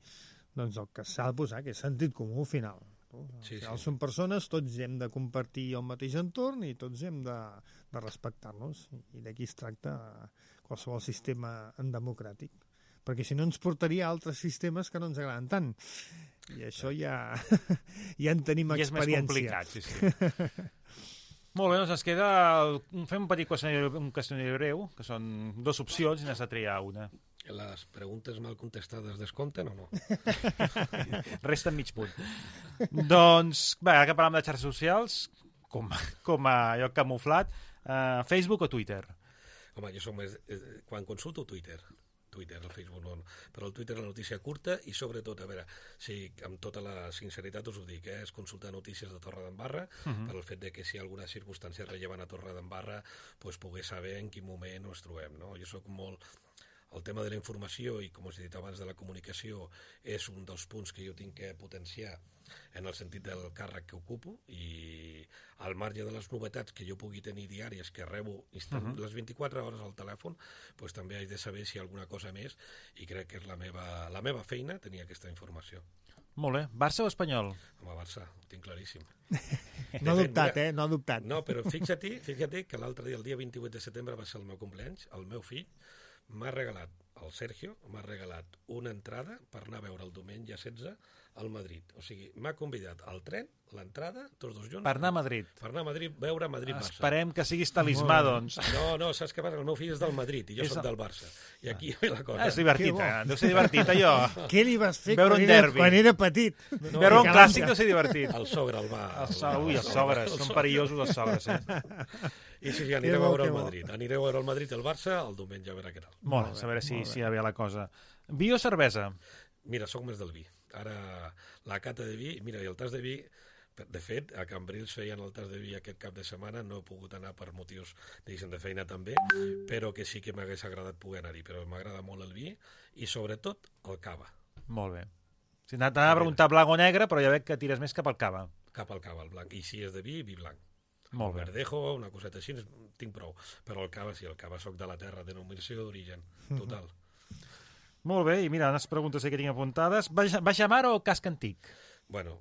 doncs, el que s'ha de posar, que és sentit comú final. No? Al Sí, final sí. són persones, tots hem de compartir el mateix entorn i tots hem de, de respectar-nos. I d'aquí es tracta qualsevol sistema democràtic. Perquè si no ens portaria a altres sistemes que no ens agraden tant. I això ja, ja en tenim I és més experiència. complicat, sí, sí. Molt bé, doncs ens queda... El... Fem un petit qüestionari, un qüestionari breu, que són dues opcions i n'has de triar una. Les preguntes mal contestades descompten o no? Resta mig punt. Doncs, bé, ara que parlem de xarxes socials, com, com a lloc camuflat, eh, Facebook o Twitter? Home, jo soc més... eh, Quan consulto Twitter, Twitter, el Facebook no, no, però el Twitter la notícia curta i sobretot, a veure, si amb tota la sinceritat us ho dic, eh, és consultar notícies de Torredembarra, uh -huh. per el fet de que si hi ha alguna circumstància rellevant a Torredembarra, pues, poder saber en quin moment ens trobem, no? Jo sóc molt... el tema de la informació i, com us he dit abans, de la comunicació és un dels punts que jo tinc que potenciar en el sentit del càrrec que ocupo, i al marge de les novetats que jo pugui tenir diàries, que rebo instant, uh -huh. les vint-i-quatre hores al telèfon, doncs també haig de saber si hi ha alguna cosa més, i crec que és la meva, la meva feina tenir aquesta informació. Molt bé. Barça o Espanyol? Home, Barça, ho tinc claríssim. No ha dubtat, eh? No ha dubtat. No, però fixa't, fixa't que l'altre dia, el dia vint-i-vuit de setembre, va ser el meu cumpleaños, el meu fill m'ha regalat, el Sergio, m'ha regalat una entrada per anar a veure el diumenge setze al Madrid. O sigui, m'ha convidat al tren, l'entrada, tots dos junts... Per anar a Madrid. Per anar a Madrid, veure Madrid-Barça. Esperem que siguis talismà, doncs. No, no, saps què passa? El meu fill és del Madrid i jo soc del Barça. I aquí ve la cosa. Ah, és divertit, eh? Deu ser divertit, allò. Què li vas fer veure quan, un era, derbi. quan era petit? No, veure un clàssic deu ser divertit. El sogre el va... El so... Ui, els sogres, són perillosos els sogres, eh? I sí, sí, aniré a veure el Madrid. Aniré a veure el Madrid i el Barça el diumenge, a veure què tal. Molt bé, a veure si, si hi havia la cosa. Vi o cervesa? Mira, sóc més del vi. Ara, la cata de vi... Mira, i el tas de vi... De fet, a Cambrils feien el tas de vi aquest cap de setmana, no he pogut anar per motius, diguéssim, de feina també, però que sí que m'hagués agradat poder anar-hi. Però m'agrada molt el vi i, sobretot, el cava. Molt bé. Si t'anava a preguntar blanc o negre, però ja veig que tires més cap al cava. Cap al cava, el blanc. I si és de vi, vi blanc. Molt bé. Verdejo, una coseta així, tinc prou. Però el cava, sí, el cava soc de la terra, denominació d'origen, total. Molt bé, i mira, unes preguntes que tinc apuntades. Baixa mar o casc antic? Bueno,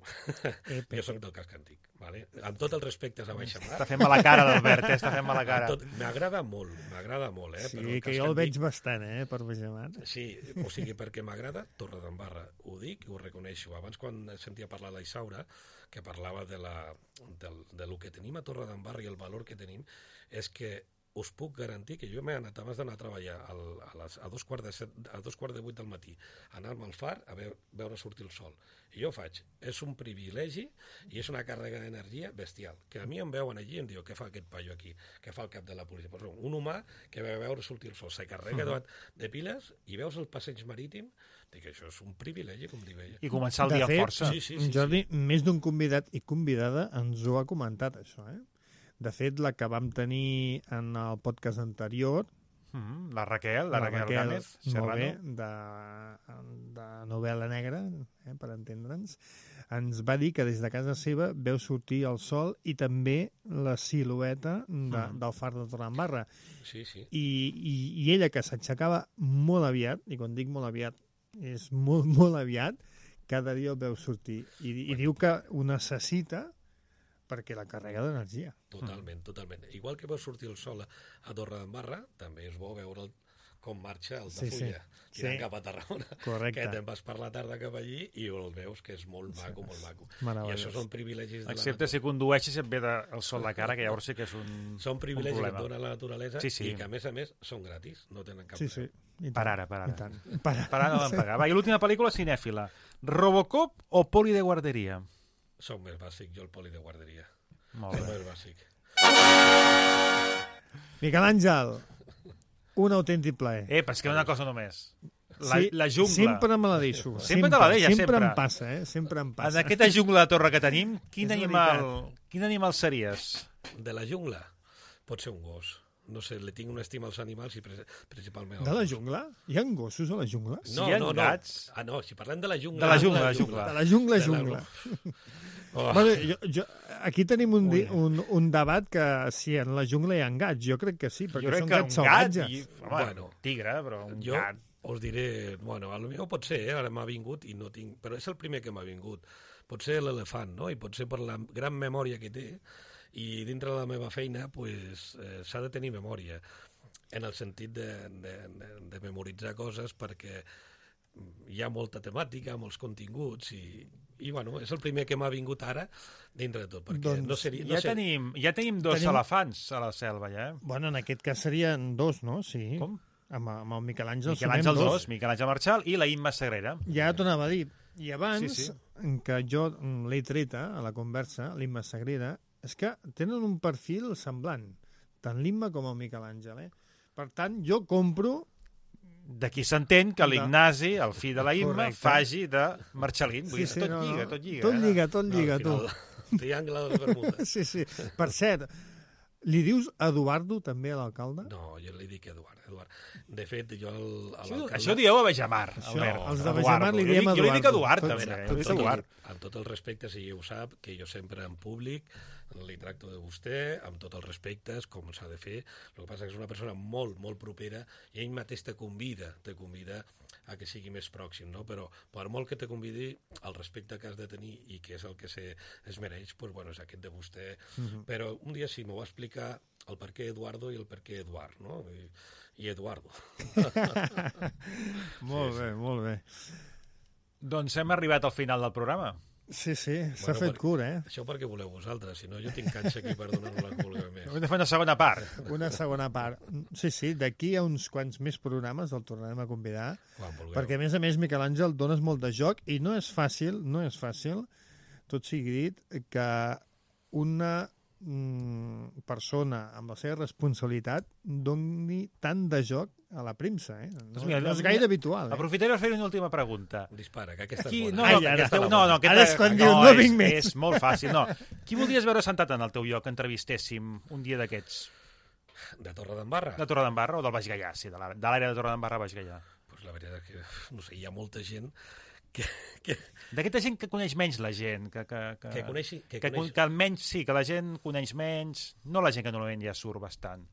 jo soc del casc antic, vale? Amb tot el respecte a Baixa Mar... Està fent mala cara, l'Albert, eh? Està fent mala cara. M'agrada molt, m'agrada molt, eh? Sí, però el que jo el antic... veig bastant, eh, per Baixa Mar. Sí, o sigui, perquè m'agrada Torredembarra, ho dic i ho reconeixo. Abans, quan sentia parlar la Isaura, que parlava de, la, del, de lo que tenim a Torredembarra i el valor que tenim, és que us puc garantir que jo m'he anat abans d'anar a treballar al, a, les, a, dos quarts de set, a dos quarts de vuit del matí, anar-me al far a veure, veure sortir el sol. I jo ho faig. És un privilegi i és una càrrega d'energia bestial. Que a mi em veuen allí i em diuen què fa aquest paio aquí, què fa el cap de la policia. Però un humà que va veure sortir el sol, se carrega uh -huh. de piles i veus el passeig marítim, dic que això és un privilegi, com diu ella. I començar el de dia fet, força. Sí, sí, sí, Jordi, sí. Més d'un convidat i convidada ens ho ha comentat, això, eh? De fet, la que vam tenir en el podcast anterior... Mm, la Raquel, la, la Raquel, Raquel Gámez, Serrano. Molt bé, de, de novel·la negra, eh, per entendre'ns, ens va dir que des de casa seva veu sortir el sol i també la silueta de, mm. del far de Torredembarra. Sí, sí. I, i, i ella, que s'aixecava molt aviat, i quan dic molt aviat, és molt, molt aviat, cada dia el veu sortir. I, i diu que ho necessita perquè la carrega d'energia. Totalment, totalment. Igual que veus sortir el sol a, a Torredembarra, també és bo veure el, com marxa el de sí, Fulla, sí. tirant sí. cap a Tarragona. Correcte. Que te'n vas per la tarda cap allí i el veus que és molt maco, molt maco. I això són privilegis de Excepte la si condueixes i et ve de, el sol de cara, que llavors sí que és un Són privilegis un que et dona la naturalesa sí, sí. i que, a més a més, són gratis, no tenen cap sí, sí. Per ara, per ara. Per ara, per ara no van pagar. Va, i l'última pel·lícula cinèfila. Robocop o Poli de guarderia? Soc més bàsic, jo el Poli de guarderia. Molt bé. Més bàsic. Miquel Àngel, un autèntic plaer. Eh, però és que una cosa només. La, sí, la jungla. Sempre me la deixo. Sempre, sempre te la deixes, sempre. Sempre em passa, eh? Sempre em passa. En aquesta jungla de torre que tenim, quin, animal, quin animal series? De la jungla? Pot ser un gos. No sé, li tinc una estima als animals i principalment... De la jungla? Hi ha gossos a la jungla? No, sí, hi ha no, gats. No. Ah, no, si parlem de la jungla... De la jungla, de la jungla. De la jungla, jungla. Oh. Bueno, jo, jo, aquí tenim un, di, un, un debat que si en la jungla hi ha gats. Jo crec que sí, perquè són gats salvatges. I, home, bueno, tigre, però un jo gat. Us diré, bueno, a lo millor pot ser, eh? Ara m'ha vingut i no tinc... Però és el primer que m'ha vingut. Pot ser l'elefant, no? I pot ser per la gran memòria que té. I dintre de la meva feina, pues, eh, s'ha de tenir memòria. En el sentit de, de, de, de memoritzar coses perquè hi ha molta temàtica, molts continguts i, i bueno, és el primer que m'ha vingut ara dintre de tot, perquè doncs no seria... No ja, ser... tenim, ja tenim dos tenim... elefants a la selva, ja. Bueno, en aquest cas serien dos, no? Sí. Com? Amb, amb el Miquel Àngel Miquel Àngel dos, dos, Miquel Àngel Marchal i la Imma Sagrera. Ja t'ho anava a dir. I abans, sí, sí. que jo l'he treta a la conversa, l'Imma Sagrera, és que tenen un perfil semblant, tant l'Imma com el Miquel Àngel, eh? Per tant, jo compro... D'aquí s'entén que l'Ignasi, el fill de la Imma, correcte. Faci de Marxalín. Vull Sí, dir, sí, tot no, lliga, no. tot lliga. Tot lliga, tot No, lliga, al tu. final, triangle de les Bermudes. Sí, sí. Per cert, Li dius Eduardo també a l'alcalde? No, jo li dic Eduard. Eduard. De fet, jo al, a Això, l'alcalde... això dieu a Bejamar, Això, Albert. els de Bejamar li diem Jo li dic Eduardo. Eduard, Tots- també. tots Jo li dic Amb tot, Eduard. el, amb tot el respecte, si ho sap, que jo sempre en públic li tracto de vostè, amb tots els respectes, com s'ha de fer. El que passa és que és una persona molt, molt propera i ell mateix te convida, te convida a que sigui més pròxim, no? Però per molt que te convidi, el respecte que has de tenir i que és el que se, es mereix, doncs, bueno, és aquest de vostè. Uh-huh. Però un dia sí, m'ho va explicar el per què Eduardo i el per què Eduard, no? I, i Eduardo. Molt sí, bé, sí. molt bé. Doncs hem arribat al final del programa. Sí, sí, s'ha Bueno, fet per- curt, eh? Això perquè voleu vosaltres, si no jo tinc canxa aquí per donar-vos la que vulgueu més. Hem de fer una segona part. Una segona part. Sí, sí, d'aquí a uns quants més programes el tornarem a convidar, Quan vulgueu. perquè a més a més, Miquel Àngel, dones molt de joc i no és fàcil, no és fàcil, tot sigui dit, que una mm, persona amb la seva responsabilitat doni tant de joc a la premsa, eh? No, Doncs mira, no és gaire habitual, eh? Aprofitaré per fer una última pregunta. Dispara, que aquesta Qui... és No, bona. no, Ai, que ara, aquesta... ara, no, no, ara aquesta... és quan no, diu, no és, vinc més. És molt fàcil, no. Qui voldries veure sentat en el teu lloc que entrevistéssim un dia d'aquests? De Torredembarra? De Torredembarra o del Baix Gaià, sí, de la- de l'àrea de Torredembarra a Baix Gaià. Pues la veritat és que, no sé, hi ha molta gent que... que, D'aquesta gent que coneix menys la gent, que... Que, que, que coneixi... Que que, coneix... que almenys sí, que la gent coneix menys, no la gent que normalment ja surt bastant.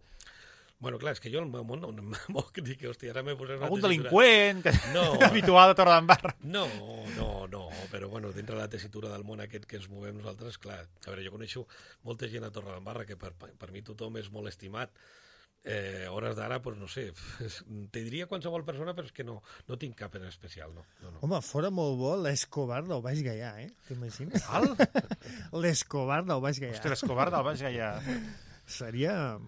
Bueno, clar, és que jo al meu món no, no em moc dir que, hòstia, ara m'he posat una Algun tessitura- delinqüent, que No. habitual de Torredembarra. No, no, no, però bueno, dintre la tessitura del món aquest que ens movem nosaltres, clar, a veure, jo coneixo molta gent a Torredembarra que per, per mi tothom és molt estimat. Eh, a hores d'ara, doncs no sé, te diria qualsevol persona, però és que no, no tinc cap en especial, no. no, no. Home, fora molt bo l'Escobar del Baix Gaià, eh? T'imagines? Val? L'Escobar del Baix Gaià. Ostres, Escobar del Baix Gaià. Seria...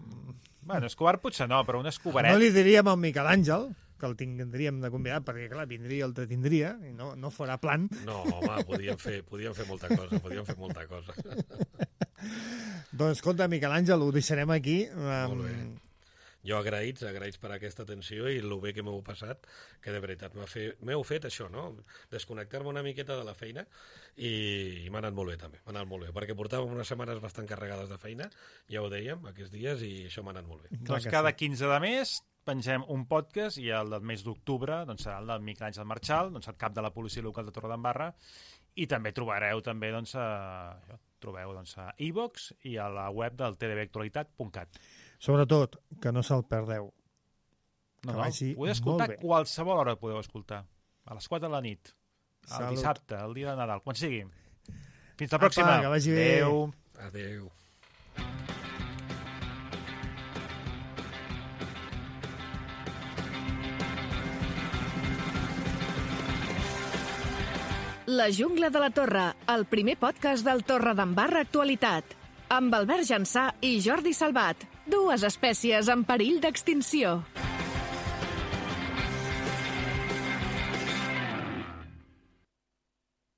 Bueno, Escobar potser no, però un No escobaret... li diríem al Miquel Àngel, que el tindríem de convidar, perquè, clar, vindria el que tindria, i no, no farà plan. No, home, podíem fer, podíem fer molta cosa, podíem fer molta cosa. Doncs, escolta, Miquel Àngel, ho deixarem aquí. Molt bé. Um, Jo agraïts, agraïts per aquesta atenció i el bé que m'heu passat, que de veritat m'ha fe- m'heu fet això, no? Desconnectar-me una miqueta de la feina i, i m'ha anat molt bé també, m'ha anat molt bé, perquè portàvem unes setmanes bastant carregades de feina, ja ho dèiem, aquests dies, i això m'ha anat molt bé. clar Doncs que cada sí. quinze de mes pengem un podcast i el del mes d'octubre doncs, serà el del Miquel Àngel Marchal, doncs, el cap de la policia local de Torredembarra, i també trobareu també doncs, a, això, trobeu doncs, a iVox i a la web del t d b actualitat punt cat. Sobretot, que no se'l perdeu. No, Que no, vagi podeu escoltar molt bé. qualsevol hora podeu escoltar. A les quatre de la nit, el Salut. dissabte, el dia de Nadal, quan sigui. Fins la Apa, pròxima. que vagi bé. Adéu. Adéu. La jungla de la Torre, el primer podcast del Torredembarra Actualitat. Amb Albert Jansà i Jordi Salvat, dues espècies en perill d'extinció.